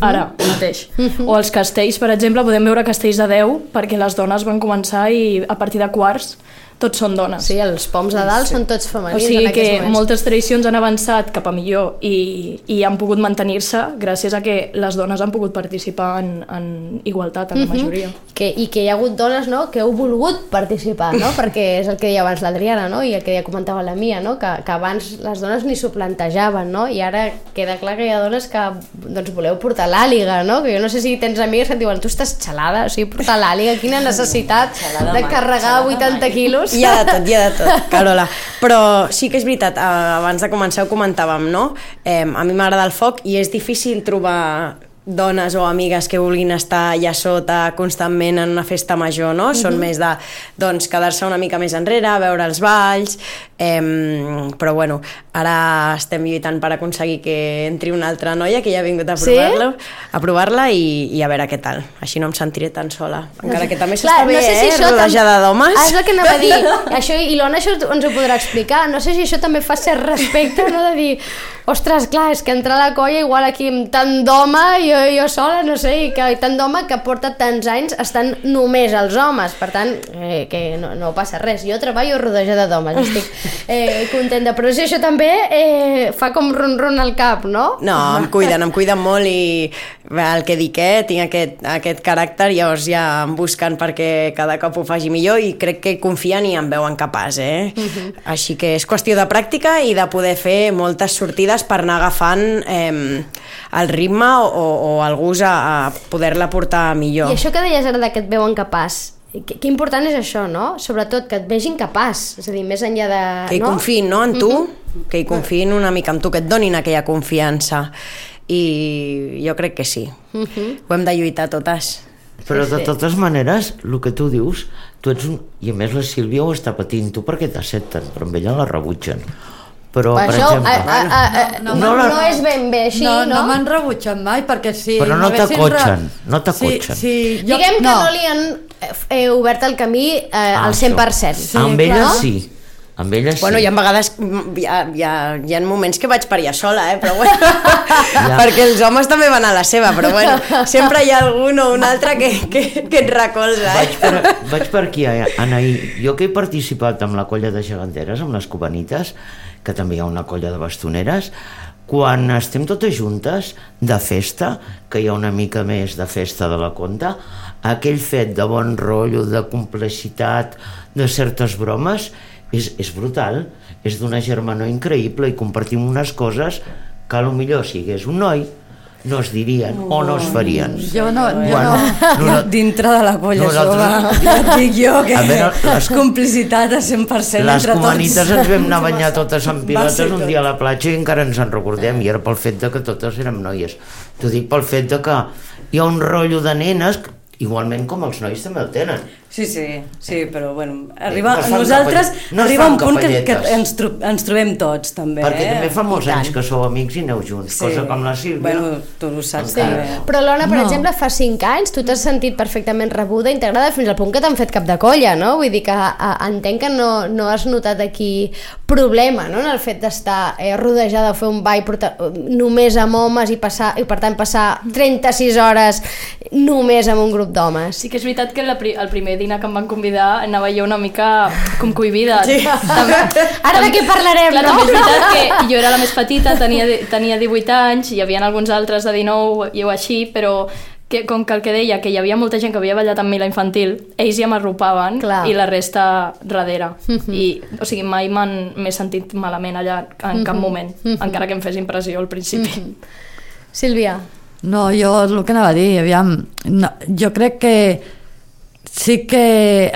ara mateix. O els castells, per exemple, podem veure castells de 10 perquè les dones van començar i a partir de quarts tots són dones. Sí, els poms de dalt són tots femenins. O sigui que moltes tradicions han avançat cap a millor i han pogut mantenir-se gràcies a que les dones han pogut participar en igualtat, en la majoria. I que hi ha hagut dones, no?, que heu volgut participar, no?, perquè és el que deia abans l'Adriana, no?, i el que ja comentava la Mia, no?, que abans les dones ni s'ho plantejaven, no?, i ara queda clar que hi ha dones que doncs voleu portar l'àliga, no?, que jo no sé si tens amigues que et diuen tu estàs xalada, o sigui, portar l'àliga, quina necessitat de carregar 80 quilos. Hi ha de tot, Carola. Però sí que és veritat, abans de començar ho comentàvem, no? A mi m'agrada el foc i és difícil trobar dones o amigues que vulguin estar allà sota constantment en una festa major, no? Són més de, doncs, quedar-se una mica més enrere, veure els balls, però bueno, ara estem lluitant per aconseguir que entri una altra noia que ja ha vingut a provar-la i a veure què tal. Així no em sentiré tan sola. Encara que també s'està bé, rodejada d'homes. És el que anava a dir. Això, i l'Ona això ens ho podrà explicar. No sé si això també fa cert respecte, no?, de dir, ostres, clar, és que entrar a la colla igual aquí amb tant d'home, jo sola, no sé, i tant d'home que porta tants anys estan només els homes, per tant, que no passa res. Jo treballo rodejada d'homes, estic contenta, però si això també fa com ron-ron al cap, no? No, em cuiden molt i el que dic, tinc aquest caràcter, llavors ja em busquen perquè cada cop ho faci millor i crec que confien i em veuen capaç, Així que és qüestió de pràctica i de poder fer moltes sortides per anar agafant el ritme o el gust a poder-la portar millor. I això que deies ara que et veuen capaç, que important és això, no? Sobretot que et vegin capaç, és a dir, més enllà de... Que hi confiïn, no?, en tu, que hi confiïn una mica en tu, que et donin aquella confiança. I jo crec que sí. Ho hem de lluitar totes. Però de totes maneres, el que tu dius, tu ets un... I a més la Sílvia ho està patint, tu perquè t'accepten, però amb ella la rebutgen. Però, per exemple... No és ben bé així, no? No m'han rebutjat mai, perquè si... Però no t'acotxen, no t'acotxen. Diguem que no li han obert el camí al 100%. Amb ella sí. Amb ella sí. Bueno, hi ha vegades, hi ha moments que vaig per allà sola, però bueno, perquè els homes també van a la seva, però bueno, sempre hi ha algun o un altre que et recolza. Vaig per aquí, Anaí. Jo que he participat amb la colla de geganteres, amb les cubanites, que també hi ha una colla de bastoneres, quan estem totes juntes de festa, que hi ha una mica més de festa de la conta, aquell fet de bon rotllo, de complexitat, de certes bromes, és brutal, és d'una germanor increïble i compartim unes coses que potser si hi hagués un noi no es dirien o no es farien. Jo no, dintre de la colla jove, ja et dic jo que és complicitat a 100% entre tots. Les comanites ens vam anar a banyar totes amb pilotes un dia a la platja i encara ens en recordem, i era pel fet de que totes érem noies. T'ho dic pel fet de que hi ha un rotllo de nenes, igualment com els nois també el tenen. Sí, però bueno, nosaltres arriba un punt que ens trobem tots també. Perquè també fa molts anys que sou amics i aneu junts, cosa com la Sílvia. Bueno, tu ho saps també. Però l'Ona, per exemple, fa 5 anys tu t'has sentit perfectament rebuda, integrada, fins al punt que t'han fet cap de colla, no? Vull dir que entenc que no has notat aquí problema, no?, en el fet d'estar rodejada o fer un ball només amb homes i per tant passar 36 hores només amb un grup d'homes. Sí que és veritat que el primer dinar que em van convidar anava jo una mica com cohibida. Sí. Ara de què parlarem, clar, no? També és veritat que jo era la més petita, tenia 18 anys, hi havia alguns altres de 19 i així, però com que el que deia, que hi havia molta gent que havia ballat amb mi la infantil, ells ja m'arropaven i la resta darrere. O sigui, mai m'he sentit malament allà en cap moment, encara que em fes impressió al principi. Sílvia. No, jo el que anava a dir, aviam, jo crec que sí que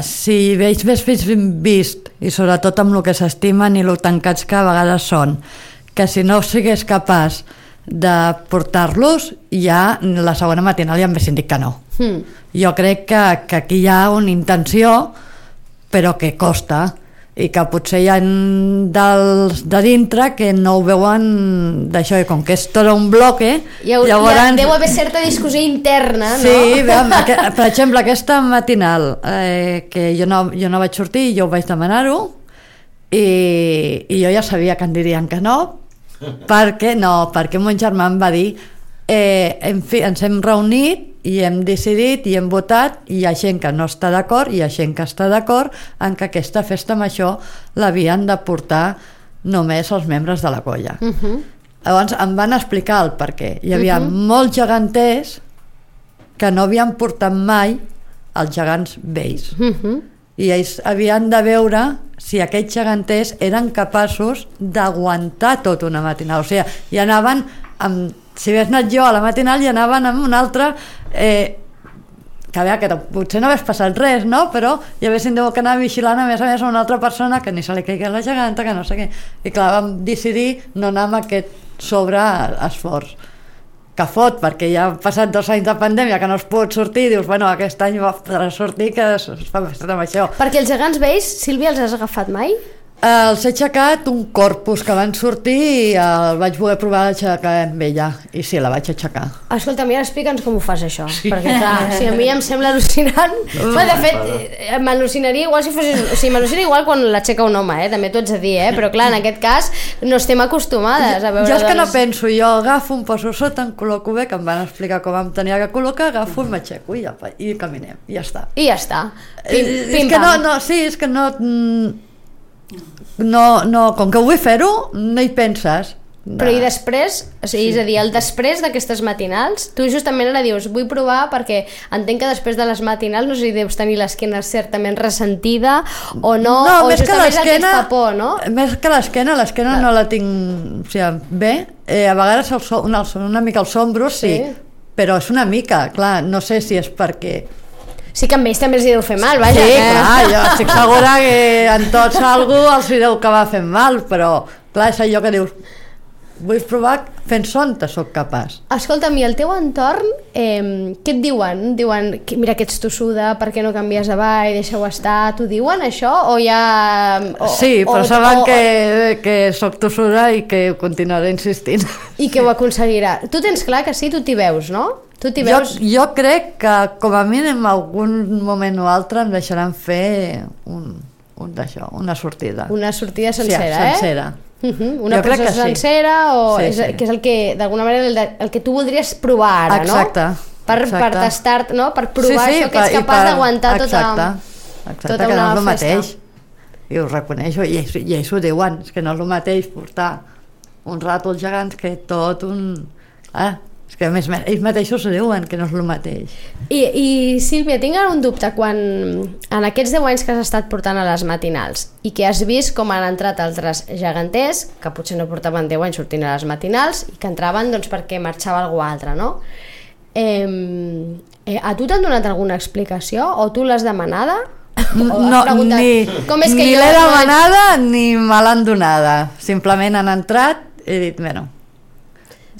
si veig més fills vist, i sobretot amb el que s'estimen i el tancats que a vegades són, que si no sigués capaç de portar-los, ja la segona matinal ja m'haguessin dit que no. Jo crec que aquí hi ha una intenció, però que costa, i que potser hi ha dels de dintre que no ho veuen d'això, i com que és tot un bloque llavors... Deu haver certa discussió interna, no? Sí, per exemple, aquesta matinal que jo no vaig sortir, jo vaig demanar-ho i jo ja sabia que em dirien que no, perquè mon germà em va dir en fi, ens hem reunit i hem decidit i hem votat, i hi ha gent que no està d'acord i hi ha gent que està d'acord en que aquesta festa major l'havien de portar només els membres de la colla. Llavors em van explicar el perquè. Hi havia molts geganters que no havien portat mai els gegants vells, i ells havien de veure si aquests geganters eren capaços d'aguantar tota una matinal. O sigui, hi anaven si hagués anat jo a la matinal i anaven amb un altre que a veure, que potser no hagués passat res, no? Però hi haguessin que anar vigilant a més a una altra persona que ni se li caigui la geganta, que no sé què. I clar, vam decidir no anar amb aquest sobreesforç que fot, perquè ja han passat 2 anys de pandèmia que no es pot sortir, i dius, bueno, aquest any va sortir, que es fa amb això. Perquè els gegants vells, Sílvia, els has agafat mai? Els he aixecat un corpus que van sortir i el vaig voler provar d'aixecar amb ella, i sí, la vaig aixecar. Escolta, mira, explica'ns com ho fas això, perquè clar, si a mi em sembla al·lucinant. De fet, m'al·lucinaria igual si fossis... O sigui, m'al·lucina igual quan l'aixeca un home, també t'ho haig de dir, però clar, en aquest cas no estem acostumades a veure... Jo és que no penso, jo agafo, em poso sota, em col·loco bé, que em van explicar com em tenia que col·locar, agafo i m'aixeco i caminem, i ja està. I ja està. És que és que no, com que vull fer-ho, no hi penses. Però i després, o sigui, és a dir, el després d'aquestes matinals, tu justament ara dius, vull provar perquè entenc que després de les matinals no sé si deus tenir l'esquena certament ressentida o no, o justament és el que et fa por, no? Més que l'esquena no la tinc, o sigui, bé, a vegades una mica els ombros, sí, però és una mica, clar, no sé si és perquè... Sí que amb ells també els deu fer mal, vaja. Sí, clar, jo estic segura que en tots algú els deu acabar fent mal, però clar, és allò que dius, vull provar fent sonte soc capaç. Escolta'm, i el teu entorn, què et diuen? Diuen, mira que ets tossuda, per què no canvies de ball, deixa-ho estar, t'ho diuen això? O ja... Sí, però saben que soc tossuda i que continuaré insistint. I que ho aconseguirà. Tu tens clar que sí, tu t'hi veus, no? Jo crec que com a mínim en algun moment o altre em deixaran fer una sortida. Una sortida sencera, sencera. Una processa sencera, que és el que d'alguna manera el que tu voldries provar ara, no? Exacte. Per tastar, no? Per provar això que ets capaç d'aguantar tota una que no és el mateix. I ho reconeixo, i ells ho diuen, és que no és el mateix portar un rato als gegants que tot un... És que a més ells mateixos ho diuen, que no és el mateix. I Sílvia, tinc un dubte, quan en aquests 10 anys que has estat portant a les matinals i que has vist com han entrat altres geganters, que potser no portaven 10 anys sortint a les matinals i que entraven doncs, perquè marxava algú altre, no? A tu t'han donat alguna explicació o tu l'has demanada? No, ni l'he demanada ni me l'han donada. Simplement han entrat i he dit, bueno...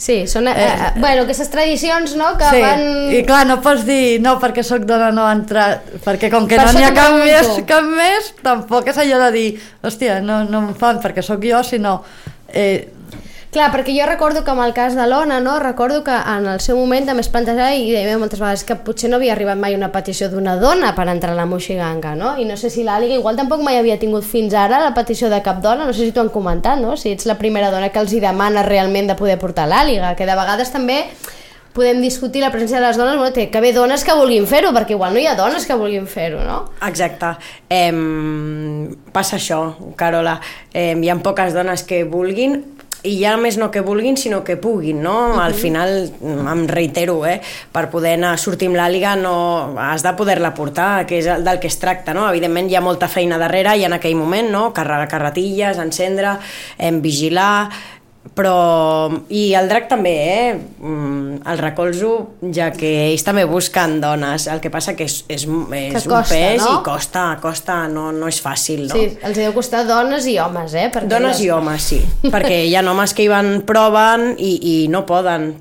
Sí, són bueno, aquestes tradicions, no? Que sí, van... i clar, no pots dir no, perquè sóc dona no ha entrat, perquè com que per no n'hi ha cap pregunto. més, tampoc és allò de dir hòstia, no em fan perquè sóc jo, sinó Clar, perquè jo recordo que amb el cas de l'Ona, no? Recordo que en el seu moment també es plantejava i deia moltes vegades que potser no havia arribat mai una petició d'una dona per entrar a la Moixiganga, no? I no sé si l'Àliga igual tampoc mai havia tingut fins ara la petició de cap dona, no sé si t'ho han comentat, no? Si ets la primera dona que els hi demana realment de poder portar l'Àliga, que de vegades també podem discutir la presència de les dones, bueno, té que haver dones que vulguin fer-ho, perquè igual no hi ha dones que vulguin fer-ho, no? Exacte. Passa això, Carola. Hi ha poques dones que vulguin, i ja més no que vulguin, sinó que puguin, no? Al final, em reitero, per poder anar a sortir amb l'Àliga no has de poder-la portar, que és del que es tracta, no? Evidentment hi ha molta feina darrere i en aquell moment, no? Carregar carretilles, encendre, vigilar, però... I el drac també, el recolzo, ja que ells també busquen dones, el que passa que és un costa, pes, no? I costa, no és fàcil, no? Sí, els deu costar dones i homes, perquè dones i homes, sí, perquè hi ha homes que hi van, proven i no poden,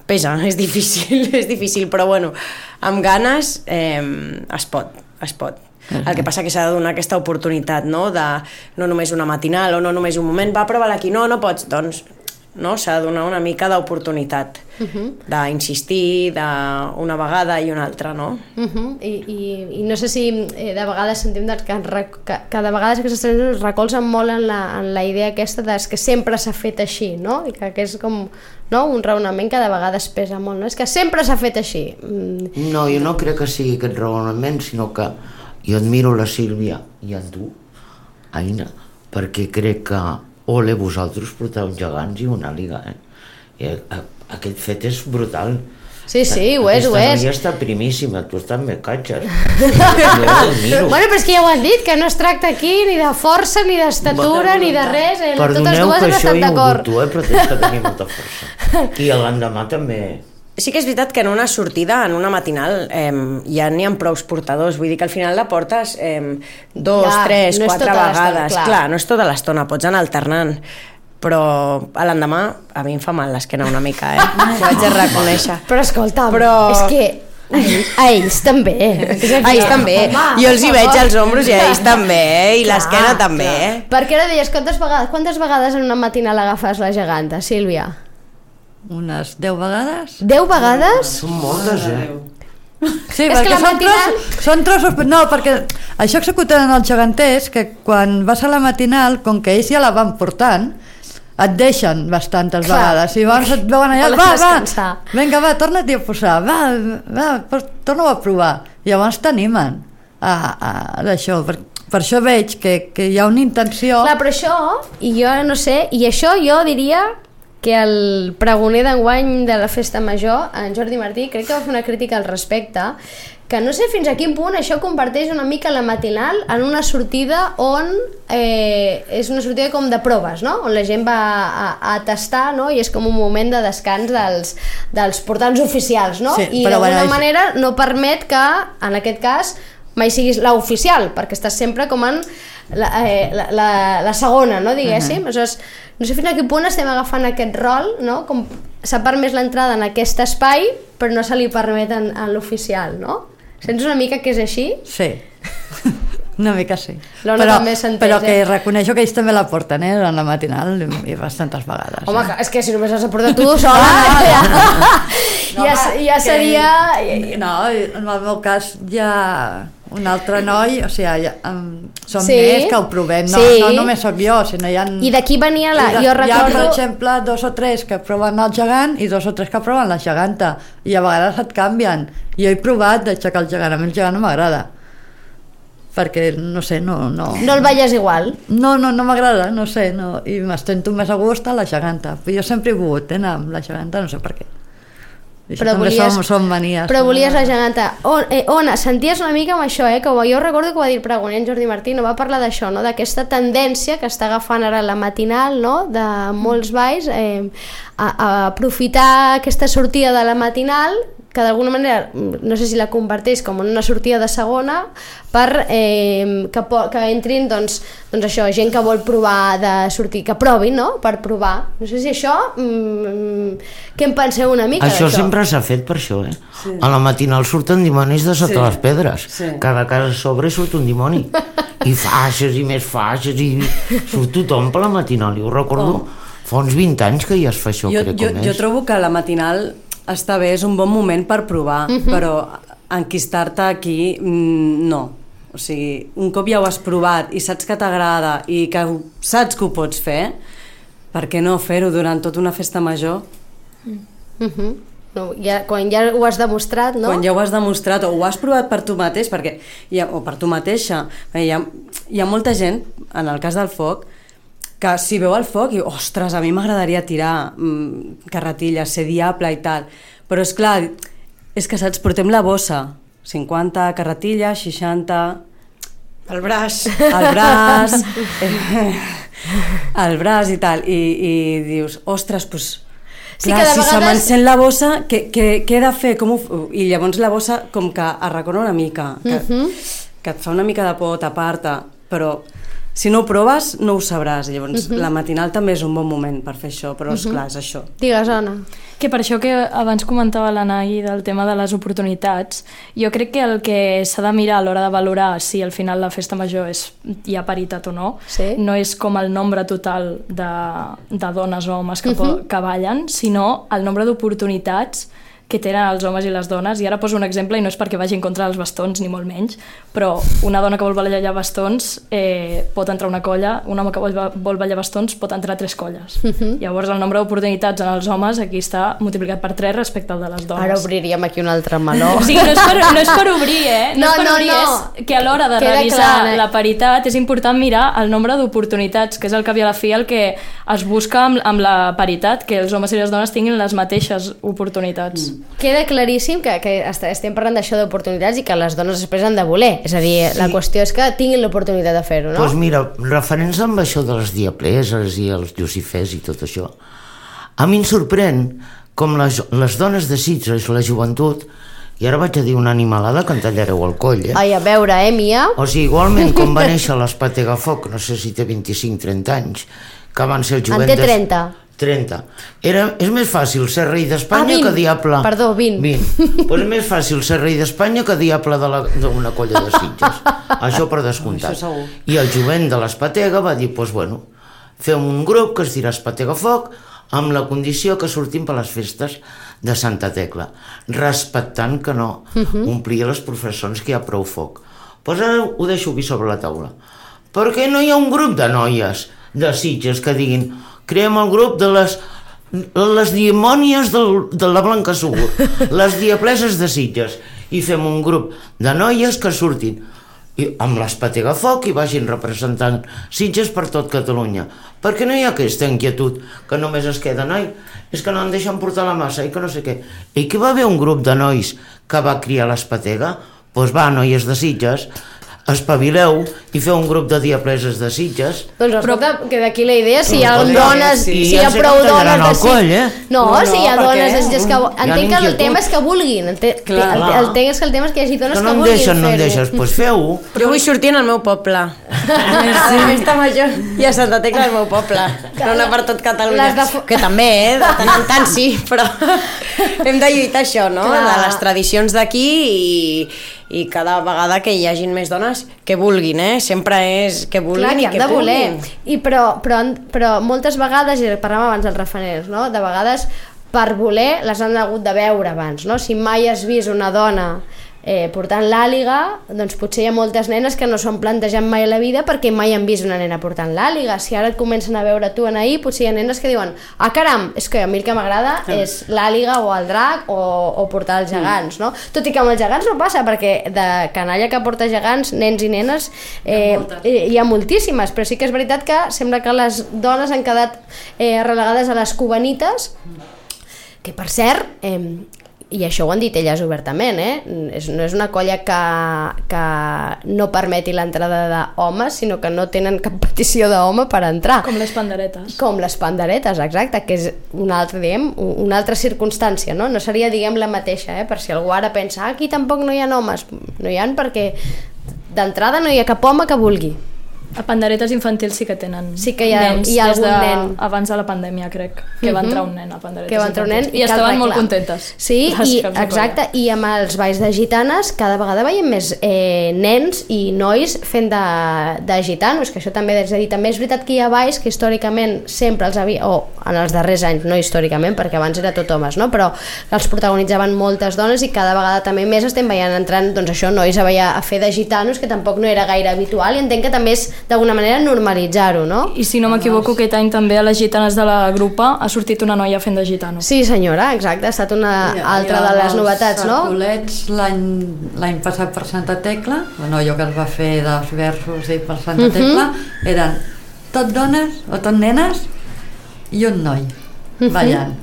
pesa, és difícil, però bueno, amb ganes es pot. El que passa que s'ha de donar aquesta oportunitat, no? De no només una matinal o no només un moment, va, prova-la aquí, no pots, doncs no? S'ha de donar una mica d'oportunitat d'insistir d'una vegada i una altra, no? I no sé si de vegades sentim que de vegades aquestes tradicions es recolzen molt en la idea aquesta que sempre s'ha fet així, no? I que és com, no? Un raonament que de vegades pesa molt, no? És que sempre s'ha fet així. No, jo no crec que sigui aquest raonament, sinó que jo admiro la Sílvia i en tu, Aina, perquè crec que ole vosaltres porteu gegants i una Àliga, I aquest fet és brutal. Sí, ho és. Aquesta noia està primíssima, tu també catxes. Bueno, però és que ja ho han dit, que no es tracta aquí ni de força, ni d'estatura, ni de res. Totes dues han estat d'acord. Perdoneu que això he volgut, però tens que tenir molta força. I l'endemà també... Sí que és veritat que en una sortida, en una matinal, ja n'hi ha prous portadors, vull dir que al final la portes 2, 3, 4 vegades. Clar, no és tota l'estona, pots anar alternant, però a l'endemà a mi em fa mal l'esquena una mica, ho haig de reconèixer. Però escolta, és que a ells també. A ells també. Jo els hi veig als ombros i a ells també, i l'esquena també. Perquè ara deies, quantes vegades en una matinal agafes la geganta, Sílvia? Unes 10 vegades. 10 vegades? Són moltes, Sí, perquè són trossos... No, perquè això executen els geganters, que quan vas a la matinal, com que ells ja la van portant, et deixen bastantes vegades. I llavors et veuen allà, vinga, torna-t'hi a posar, torna-ho a provar. I llavors t'animen d'això, per això veig que hi ha una intenció... Clar, però això, i jo no sé, i això jo diria... que el pregoner d'enguany de la Festa Major, en Jordi Martí, crec que va fer una crítica al respecte, que no sé fins a quin punt això converteix una mica la matinal en una sortida on és una sortida com de proves, no? On la gent va a tastar, no? I és com un moment de descans dels portants oficials, no? Sí, i d'alguna manera no permet que, en aquest cas, mai siguis l'oficial, perquè estàs sempre com en la segona, no? Diguéssim. Aleshores, no sé fins a quin punt estem agafant aquest rol, no? Com s'ha permès l'entrada en aquest espai, però no se li permet en l'oficial, no? Sents una mica que és així? Sí, una mica sí. Però que reconeixo que ells també la porten, en la matinal, i bastantes vegades. Home, és que si només has de portar tu sola, ja seria... No, en el meu cas ja... Un altre noi, o sigui, som més que ho provem, no només sóc jo, sinó hi ha... I d'aquí venia jo recordo... Hi ha, per exemple, 2 o 3 que proven el gegant i 2 o 3 que proven la geganta, i a vegades et canvien. Jo he provat d'aixecar el gegant, a mi el gegant no m'agrada, perquè, no sé, no... No el balles igual? No m'agrada, no sé, i m'estento més a gust a la geganta. Jo sempre he volgut anar amb la geganta, no sé per què. Això també són manies. Però volies la geganta. Ona, senties una mica amb això, que jo recordo que ho va dir el pregoner en Jordi Martí, no va parlar d'això, no? D'aquesta tendència que està agafant ara la matinal, no? De molts balls, a aprofitar aquesta sortida de la matinal, que d'alguna manera, no sé si la converteix com en una sortida de segona, per que entrin, doncs això, gent que vol provar de sortir, que provin, no?, per provar. No sé si això, què en penseu una mica d'això? Això sempre s'ha fet per això, Sí. A la matinal surten dimonis de sota les pedres. Sí. Cada casa a sobre surt un dimoni. I faixes i més faixes, i surt tothom per la matinal. Jo recordo fa uns 20 anys que ja es fa això, crec que més. Jo trobo que la matinal està bé, és un bon moment per provar, però enquistar-te aquí, no. O sigui, un cop ja ho has provat i saps que t'agrada i que saps que ho pots fer, per què no fer-ho durant tota una festa major? No, quan ja ho has demostrat, no? Quan ja ho has demostrat o ho has provat per tu mateix, o per tu mateixa. Hi ha molta gent, en el cas del foc, que si veu el foc i, ostres, a mi m'agradaria tirar carretilles, ser diable i tal, però és clar, és que saps, portem la bossa, 50 carretilles, 60... El braç i tal, i dius, ostres, doncs, sí, clar, si vegades... se m'encén la bossa, què he de fer? I llavors la bossa com que arracona una mica, que et fa una mica de por tapar-te, però si no ho proves no ho sabràs. Llavors la matinal també és un bon moment per fer això, però esclar, és això. Digues, Anna. Que per això que abans comentava l'Anai del tema de les oportunitats, jo crec que el que s'ha de mirar a l'hora de valorar si al final la festa major hi ha paritat o no, no és com el nombre total de dones o homes que ballen, sinó el nombre d'oportunitats que tenen els homes i les dones. I ara poso un exemple, i no és perquè vagi en contra dels bastons, ni molt menys, però una dona que vol ballar bastons pot entrar a una colla, un home que vol ballar bastons pot entrar a 3 colles. Llavors el nombre d'oportunitats en els homes aquí està multiplicat per 3 respecte al de les dones. Ara obríem aquí un altre meló. O sigui, no és per obrir, és que a l'hora de revisar la paritat és important mirar el nombre d'oportunitats, que és el que a la fi el que es busca amb la paritat, que els homes i les dones tinguin les mateixes oportunitats. Queda claríssim que estem parlant d'això d'oportunitats i que les dones després han de voler, és a dir, la qüestió és que tinguin l'oportunitat de fer-ho, no? Doncs mira, referents amb això de les diableses i els lucifers i tot això, a mi em sorprèn com les dones de Sitges, la joventut, i ara vaig a dir una animalada que en tallareu el coll, Ai, a veure, Mia? O sigui, igualment com va néixer l'Espategafoc, no sé si té 25-30 anys, que van ser el jovent... En té 30. 30. És més fàcil ser rei d'Espanya que diable... Perdó, 20. 20. Pues és més fàcil ser rei d'Espanya que diable d'una colla de Sitges. Això per descomptat. Això segur. I el jovent de l'Espatega va dir, doncs bueno, fem un grup que es dirà Espategafoc amb la condició que sortim per les festes de Santa Tecla, respectant que no omplia les professons que hi ha prou foc. Doncs ara ho deixo aquí sobre la taula. Per què no hi ha un grup de noies de Sitges que diguin creem el grup de les dimònies de la Blanca Segur, les diableses de Sitges, i fem un grup de noies que surtin amb l'Espategafoc i vagin representant Sitges per tot Catalunya. Per què no hi ha aquesta inquietud que només es queda és que no en deixen portar la massa i que no sé què. I que va haver un grup de nois que va criar l'Espatega? Doncs va, noies de Sitges, espavileu i feu un grup de diableses de Sitges. Doncs escolta, que d'aquí la idea, si hi ha dones, si hi ha prou dones de Sitges... No, si hi ha dones de Sitges que... Entenc que el tema és que vulguin. Entenc que el tema és que hi hagi dones que vulguin fer-ho. No em deixes, doncs feu-ho. Jo vull sortir en el meu poble. A la festa major i a Santa Tecla del meu poble. No anar per tot Catalunya. Que també, de tant en tant sí, però hem de lluitar això, no? De les tradicions d'aquí i cada vegada que hi hagin més dones que vulguin, sempre és que vulguin i que puguin. Però moltes vegades, i parlàvem abans dels referents, no? De vegades per voler les han hagut de veure abans, no? Si mai has vist una dona portant l'àliga, doncs potser hi ha moltes nenes que no s'ho han plantejat mai a la vida perquè mai han vist una nena portant l'àliga. Si ara et comencen a veure tu ahir, potser hi ha nenes que diuen caram, és que a mi el que m'agrada és l'àliga o el drac o portar els gegants, no? Tot i que amb els gegants no passa, perquè de canalla que porta gegants, nens i nenes hi ha moltíssimes, però sí que és veritat que sembla que les dones han quedat relegades a les cubanites, que per cert i això ho han dit elles obertament, no és una colla que no permeti l'entrada d'homes, sinó que no tenen cap petició d'home per entrar. Com les panderetes. Com les panderetes, exacte, que és una altra circumstància, no? No seria, la mateixa, per si algú ara pensa aquí tampoc no hi ha homes, no hi ha perquè d'entrada no hi ha cap home que vulgui. A panderetes infantils sí que tenen sí que hi ha, nens, hi ha algun nen. Abans de la pandèmia, crec, que va entrar un nen a panderetes que va entrar un nen i estaven molt contentes. Sí, exacte, i amb els balls de gitanes cada vegada veiem més nens i nois fent de gitanos, que això també és a dir, també és veritat que hi ha balls que històricament sempre els havia, o en els darrers anys, no històricament, perquè abans era tot homes, no? Però els protagonitzaven moltes dones i cada vegada també més estem veient entrant, doncs això, nois a fer de gitanos, que tampoc no era gaire habitual, i entenc que també és d'alguna manera normalitzar-ho, no? I si no m'equivoco, aquest any també a les gitanes de la grupa ha sortit una noia fent de gitano. Sí, senyora, exacte, ha estat una altra de les novetats, no? Els sarculets l'any passat per Santa Tecla, la noia que es va fer dels versos i per Santa Tecla, eren tot dones o tot nenes i un noi ballant.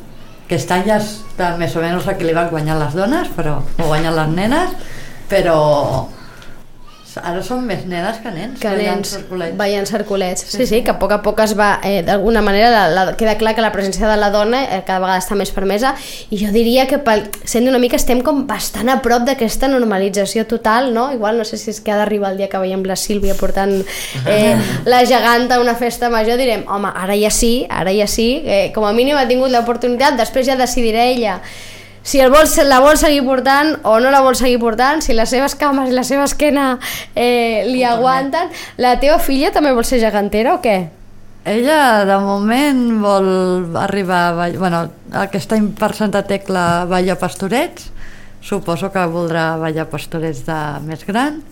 Aquest any ja està més o menys equilibrat, guanyant les dones, però ho guanyen les nenes, però ara són més nenes que nens ballant sarculets. Sí, que a poc es va d'alguna manera queda clar que la presència de la dona cada vegada està més permesa, i jo diria que sent una mica estem com bastant a prop d'aquesta normalització total, no? Igual no sé si és que ha d'arribar el dia que veiem la Sílvia portant la geganta a una festa major, direm, home, ara ja sí, com a mínim ha tingut l'oportunitat, després ja decidirà ella si la vol seguir portant o no la vol seguir portant, si les seves cames i la seva esquena li aguanten. La teva filla també vol ser gegantera o què? Ella de moment vol arribar aquest any per Santa Tecla balla pastorets, suposo que voldrà ballar pastorets de més gran,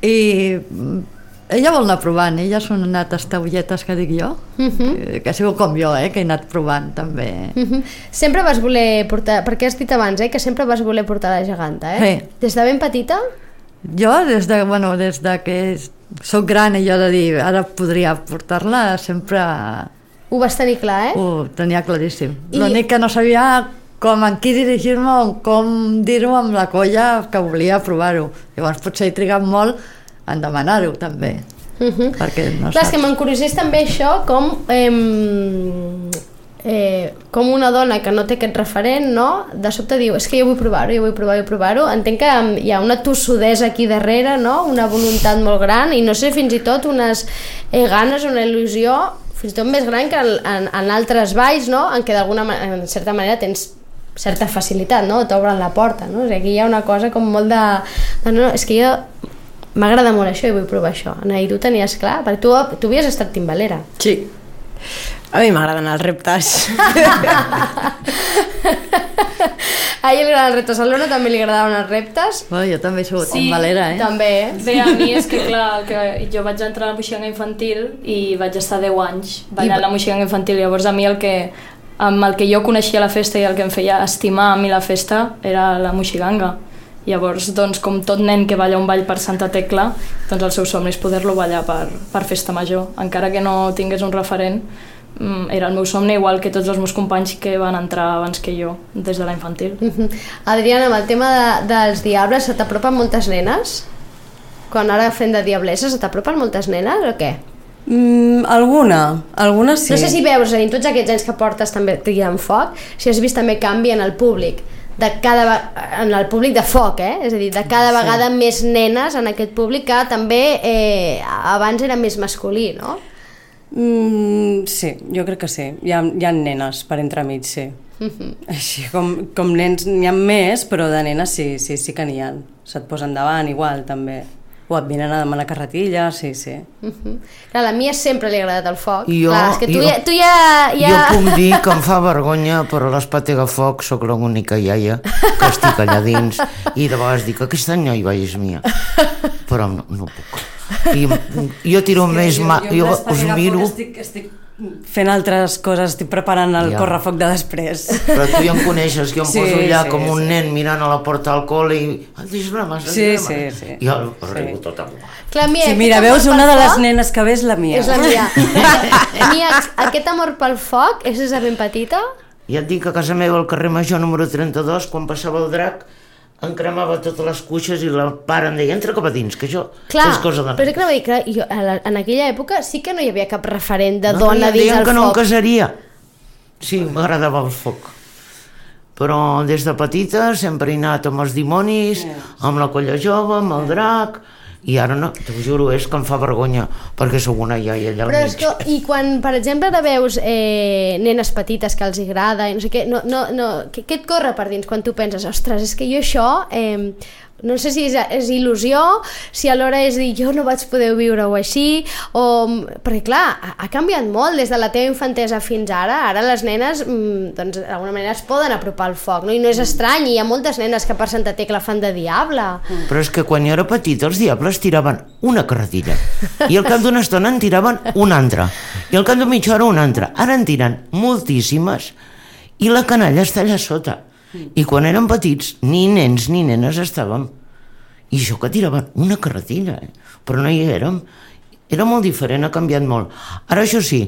i ella vol anar provant, ella són anat estaulletes que dic jo, que ha sigut com jo, que he anat provant també. Sempre vas voler portar, perquè has dit abans que sempre vas voler portar la geganta, Sí. Des de ben petita? Jo des de que soc gran i jo de dir ara podria portar-la, sempre ho vas tenir clar, ho tenia claríssim. L'únic que no sabia com en qui dirigir-me o com dir-ho amb la colla que volia provar-ho. Llavors potser he trigat molt en demanar-ho també, perquè no clar, és que m'encuriosés també això, com una dona que no té aquest referent, no? De sobte diu, és que jo vull provar-ho, entenc que hi ha una tossudesa aquí darrere, no? Una voluntat molt gran, i no sé, fins i tot unes ganes, una il·lusió fins i tot més gran que en altres balls, no? En què en certa manera tens certa facilitat, no? T'obren la porta, no? O sigui, aquí hi ha una cosa com molt de no, és que jo m'agrada molt això i vull provar això. Ana, i tu tenies clar? Perquè tu havies estat timbalera. Sí. A mi m'agraden els reptes. A ell li agraden els reptes. A l'Ona també li agradaven els reptes. Jo també he sigut timbalera, També. Bé, a mi és que clar, que jo vaig entrar a la moixiganga infantil i vaig estar 10 anys ballant la moixiganga infantil. Llavors a mi amb el que jo coneixia la festa i el que em feia estimar a mi la festa era la moixiganga. Llavors, doncs, com tot nen que balla un ball per Santa Tecla, doncs el seu somni és poder-lo ballar per festa major. Encara que no tingués un referent, era el meu somni, igual que tots els meus companys que van entrar abans que jo, des de la infantil. Adriana, amb el tema dels diables, se t'apropen moltes nenes? Quan ara fem de diablessa, se t'apropen moltes nenes o què? Alguna sí. No sé si veus, en tots aquests anys que portes també Tria en Foc, si has vist també canvi en el públic, en el públic de foc, és a dir, de cada vegada més nenes en aquest públic que també abans era més masculí, no? Sí, jo crec que sí. Hi ha nenes per entremig, sí. Així com nens n'hi ha més, però de nenes sí que n'hi ha. Se't posen davant igual també. O et venen a demanar carretilla, sí. Clar, a la Mia sempre li ha agradat el foc. Jo puc dir que em fa vergonya, però a l'Espat Foc sóc l'única iaia que estic allà dins, i de vegades dic, aquest any no hi vagis, Mia. Però no puc. I jo tiro més... Jo us miro... Estic fent altres coses, estic preparant el correfoc de després. Però tu ja em coneixes, que jo em poso allà com un nen mirant a la porta del col·le i... Sí. I jo arribo tot a volar. Sí, mira, veus, una de les nenes que ve és la Mia. És la Mia. Mia, aquest amor pel foc és des de ben petita? Ja et dic que a casa meva, al carrer Major número 32, quan passava el drac, em cremava totes les cuixes i la pare em deia, entra cap a dins, que això és cosa de nens. Però és que anava a dir que jo, en aquella època sí que no hi havia cap referent de dona dins el foc. Que no em casaria. Sí, m'agradava el foc. Però des de petita sempre he anat amb els dimonis, amb la colla jove, amb el drac, i ara no, t'ho juro, és que em fa vergonya, perquè sóc una iaia allà al mig. Però i quan, per exemple, ara veus nenes petites que els agrada, i no sé què, què et corre per dins quan tu penses, ostres, és que jo això... no sé si és il·lusió, si alhora és dir jo no vaig poder viure-ho així, perquè clar, ha canviat molt des de la teva infantesa fins ara les nenes doncs d'alguna manera es poden apropar al foc, no? I no és estrany, hi ha moltes nenes que per Santa Tecla fan de diable. Però és que quan jo era petit els diables tiraven una carretilla i al cap d'una estona en tiraven una altra i al cap de mitja hora una altra, ara en tiren moltíssimes i la canalla està allà sota. I quan érem petits, ni nens ni nenes estàvem. I això que tiraven una carretilla, però no hi érem. Era molt diferent, ha canviat molt. Ara, això sí,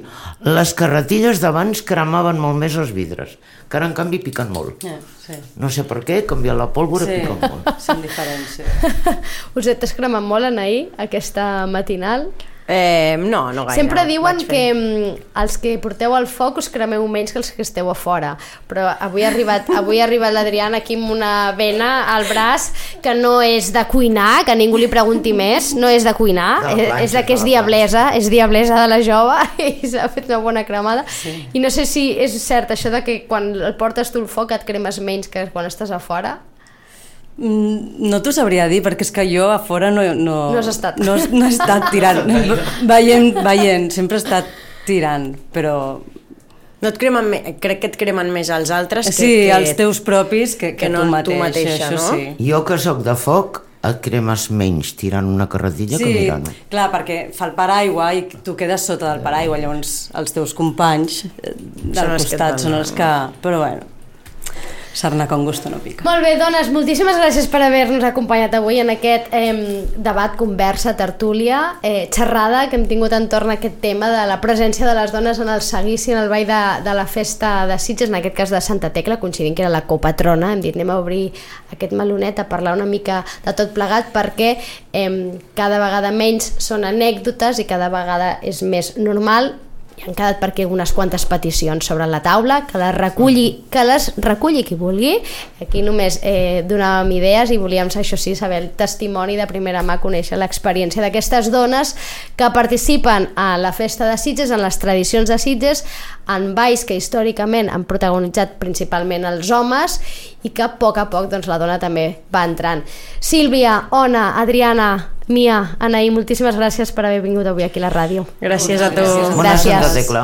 les carretilles d'abans cremaven molt més els vidres, que ara, en canvi, piquen molt. Sí. No sé per què, canviant la pólvora piquen molt. Són diferents, sí. Us t'has cremat molt en ahir, aquesta matinal? No gaire. Sempre diuen que els que porteu al foc us cremeu menys que els que esteu a fora, però avui ha arribat l'Adriana aquí amb una vena al braç que no és de cuinar, que ningú li pregunti més, no és de cuinar, és la que és diablesa de la jove i s'ha fet una bona cremada. I no sé si és cert això de que quan el portes tu al foc et cremes menys que quan estàs a fora. No t'ho sabria dir, perquè és que jo a fora no has estat. No he estat tirant, veient, sempre he estat tirant, però... No et cremen crec que et cremen més els altres que els teus propis que no tu mateixa, això no? Sí. Jo que sóc de foc et cremes menys tirant una carretilla que mirant-ho. Sí, clar, perquè fa el paraigua i tu quedes sota del paraigua, llavors els teus companys del costat són els que... Però bueno, sarna con gusto no pica. Molt bé, dones, moltíssimes gràcies per haver-nos acompanyat avui en aquest debat, conversa, tertúlia, xerrada que hem tingut entorn a aquest tema de la presència de les dones en el seguici, en el ball de la festa de Sitges, en aquest cas de Santa Tecla, coincidint que era la copatrona. Hem dit anem a obrir aquest melonet a parlar una mica de tot plegat perquè cada vegada menys són anècdotes i cada vegada és més normal. I han quedat per aquí unes quantes peticions sobre la taula, que les reculli qui vulgui. Aquí només donàvem idees i volíem, això sí, saber el testimoni de primera mà, conèixer l'experiència d'aquestes dones que participen a la festa de Sitges, en les tradicions de Sitges, en balls que històricament han protagonitzat principalment els homes i que a poc doncs, la dona també va entrant. Sílvia, Ona, Adriana, Mia, Anaí, moltíssimes gràcies per haver vingut avui aquí a la ràdio. Gràcies a tu. Bona Santa Tecla.